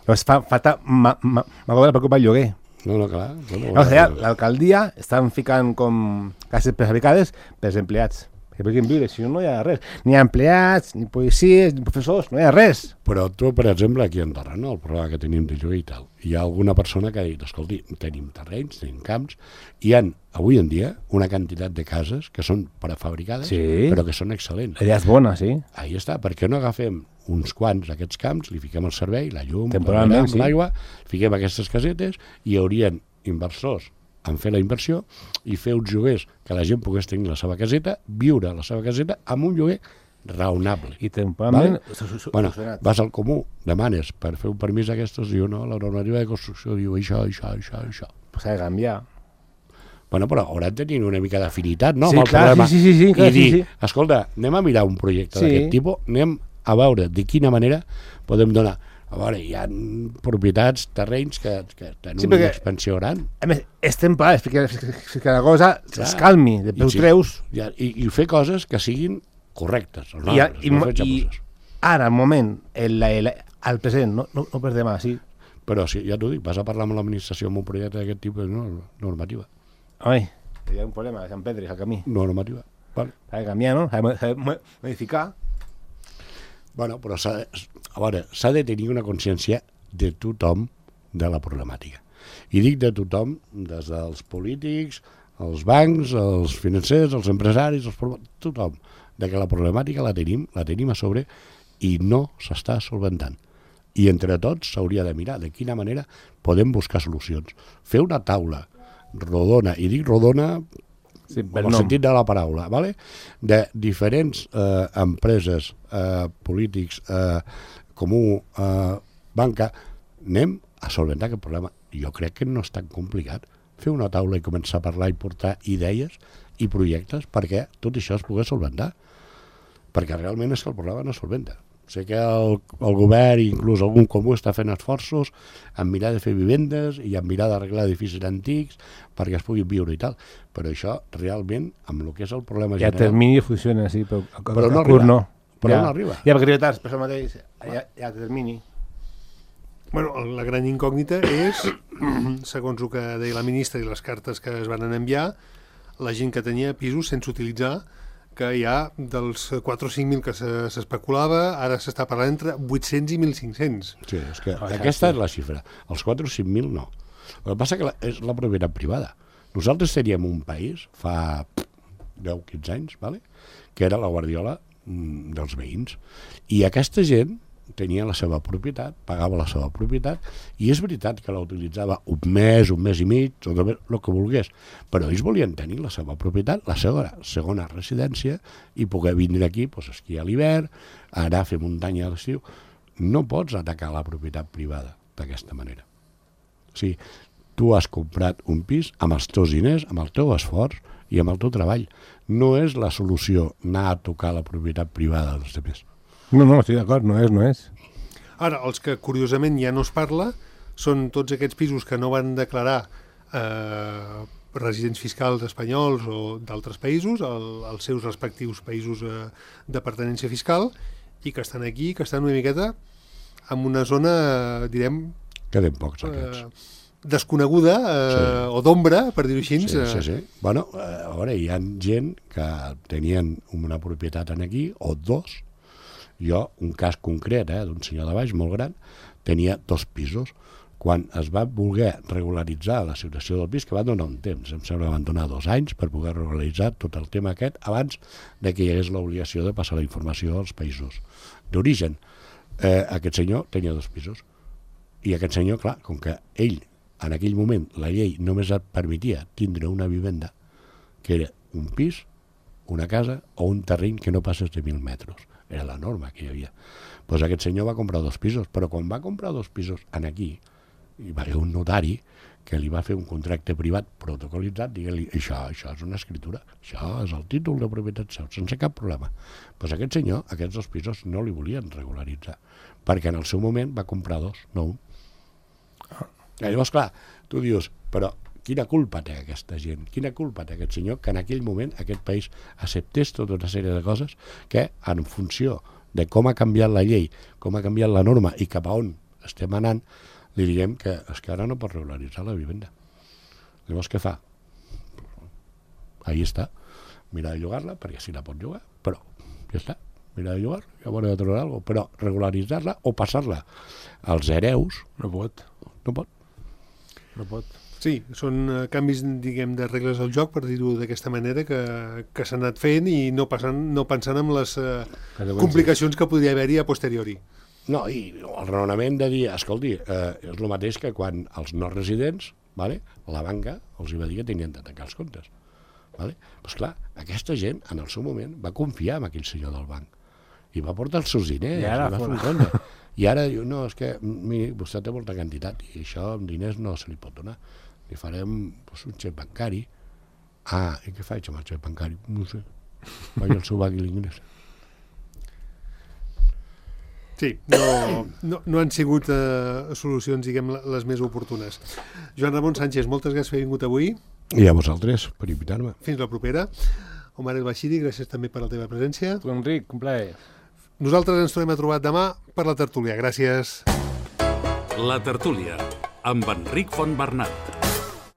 Llavors fa falta ma, ma, ma per preocupar el lloguer. No, no, clar. Bueno, Llavors allà l'alcaldia estan ficant com cases prefabricades per als empleats. Que puguin viure, si no, no hi ha res. Ni hi ha empleats, ni policies, ni professors, no hi ha res. Però tu, per exemple, aquí a Andorra, no? El problema que tenim de lloguer i tal, hi ha alguna persona que ha dit, escolti, tenim terrenys, tenim camps, hi ha, avui en dia, una quantitat de cases que són prefabricades, Sí. però que són excel·lents. La idea és bona, sí. Ahí està, per què no agafem uns quants d'aquests camps, li fiquem el servei, la llum, Temporalment, la sí. l'aigua, fiquem aquestes casetes i hi haurien inversors en fer la inversió i fer uns lloguers que la gent pogués tenir la seva caseta, viure a la seva caseta amb un lloguer raonable. I temporalment... Vale? su- su- su- Bueno, solucionat. vas al comú, demanes per fer un permís d'aquestos, diu no, la normativa de construcció diu això, això, això, això. Pues s'ha de canviar. Bueno, però hauran de tenir una mica d'afinitat, no? Sí, amb el clar, problema. sí, sí, sí, sí, clar, I dir, sí, sí. escolta, anem a mirar un projecte Sí. d'aquest tipus, anem a veure de quina manera podem donar. A veure, hi ha propietats, terrenys que, que tenen Sí, una perquè- expansió gran. A més, és temporal, és que, és que la cosa Clar. es calmi, de I peu sí, treus, ja, i, I fer coses que siguin correctes, i, raonables, i, no i, fer xapuzes. ara, al moment, el, el, el present, no, no, no per demà, sí. Però sí, ja t'ho dic, vas a parlar amb l'administració amb un projecte d'aquest tipus, no, normativa. Home, hi ha un problema, Sant Pedro, al camí. Normativa. Vale. S'ha de canviar, no? S'ha de, s'ha de mo- modificar. Bueno, però s'ha de, a veure, s'ha de tenir una consciència de tothom de la problemàtica. I dic de tothom, des dels polítics, els bancs, els financers, els empresaris, els pro- tothom, de que la problemàtica la tenim, la tenim a sobre i no s'està solventant. I entre tots s'hauria de mirar de quina manera podem buscar solucions. Fer una taula rodona, i dic rodona Sí, en per el nom. sentit de la paraula, ¿vale? De diferents eh, empreses, eh, polítics, eh, comú, eh, banca, anem a solventar aquest problema. Jo crec que no és tan complicat fer una taula i començar a parlar i portar idees i projectes perquè tot això es pogués solventar. Perquè realment és que el problema no es solventa. Sé que el, el govern, inclús algun comú, està fent esforços en mirar de fer vivendes i en mirar d'arreglar edificis antics perquè es puguin viure i tal. Però això, realment, amb el que és el problema Ja a general... termini funciona, sí, però, a, Però a, no a curt arriba. no. Però ja. no arriba. Ja, perquè arriba tard, per això mateix, ja, ja a termini. Bueno, la gran incògnita és, segons el que deia la ministra i les cartes que es van enviar, la gent que tenia pisos sense utilitzar, que hi ha dels quatre o cinc mil que se- s'especulava, ara s'està parlant entre vuit-cents i mil cinc-cents. Sí, és que Oh, aquesta sí. és la xifra. Els quatre o cinc mil no. El que passa que la, és la propietat privada. Nosaltres teníem un país, fa deu o quinze anys, vale? Que era la guardiola mm, dels veïns. I aquesta gent tenia la seva propietat, pagava la seva propietat, i és veritat que la utilitzava un mes, un mes i mig, tot el que volgués, però ells volien tenir la seva propietat, la segona, segona residència, i poder vindre aquí, doncs, esquiar a l'hivern, anar a fer muntanya a l'estiu. No pots atacar la propietat privada d'aquesta manera. O sigui, tu has comprat un pis amb els teus diners, amb el teu esforç i amb el teu treball. No és la solució anar a tocar la propietat privada dels altres. No, no, estic d'acord, no és, no és. Ara, els que curiosament ja no es parla són tots aquests pisos que no van declarar eh, residents fiscals espanyols o d'altres països, el, els seus respectius països eh, de pertinença fiscal, i que estan aquí, que estan una miqueta en una zona, eh, direm... Queden pocs aquests. Eh, desconeguda eh, sí. o d'ombra, per dir-ho així. Sí, sí, sí. Bueno, a veure, hi ha gent que tenien una propietat en aquí, o dos. Jo, un cas concret, eh, d'un senyor de baix, molt gran, tenia dos pisos. Quan es va voler regularitzar la situació del pis, que va donar un temps, em sembla que van donar dos anys per poder regularitzar tot el tema aquest abans de que hi hagués l'obligació de passar la informació als països d'origen. Eh, aquest senyor tenia dos pisos. I aquest senyor, clar, com que ell, en aquell moment, la llei només et permetia tindre una vivenda, que era un pis, una casa o un terreny que no passés de mil metres. Era la norma que hi havia. Doncs aquest senyor va comprar dos pisos, però quan va comprar dos pisos en aquí, hi va haver un notari que li va fer un contracte privat protocolitzat, diguent-li, això, això és una escritura, això és el títol de propietat seu, sense cap problema. Doncs aquest senyor, aquests dos pisos, no li volien regularitzar, perquè en el seu moment va comprar dos, no un. I llavors, clar, tu dius, però quina culpa té aquesta gent? Quina culpa té aquest senyor que en aquell moment aquest país acceptés tota una sèrie de coses que, en funció de com ha canviat la llei, com ha canviat la norma i cap a on estem anant, li diguem que és que ara no pot regularitzar la vivenda. Llavors, què fa? Ahí està. Mira de llogar-la, perquè sí la pot llogar, però ja està. Mira de llogar, ja veurà de trobar alguna cosa. Però regularitzar-la o passar-la als hereus... No pot. No pot. No pot. Sí, són uh, canvis, diguem, de regles del joc, per dir-ho d'aquesta manera, que, que s'han anat fent i no, passant, no pensant en les uh, complicacions que podria haver-hi a posteriori. No, i el raonament de dir, escolti, eh, és el mateix que quan els no residents, vale, la banca els va dir que tenien de tancar els comptes. Vale? Pues clar, aquesta gent, en el seu moment, va confiar en aquell senyor del banc i va portar els seus diners, i, ara, i va fer un compte. I ara diu, no, és que, miri, vostè té molta quantitat i això amb diners no se li pot donar. Li farem pues, un xec bancari. Ah, i què faig amb el xec bancari? No sé. Vaig al seu banc i l'ingrés. Sí, no, no, no han sigut uh, solucions, diguem, les més oportunes. Joan Ramon Sánchez, moltes gràcies per haver vingut avui. I a vosaltres, per invitar-me. Fins la propera. Omar El Bashiri, gràcies també per la teva presència. Tu, Enric, un plaer. Nosaltres ens tornem a trobar demà per la tertúlia. Gràcies. La tertúlia, amb Enric Fontbernat.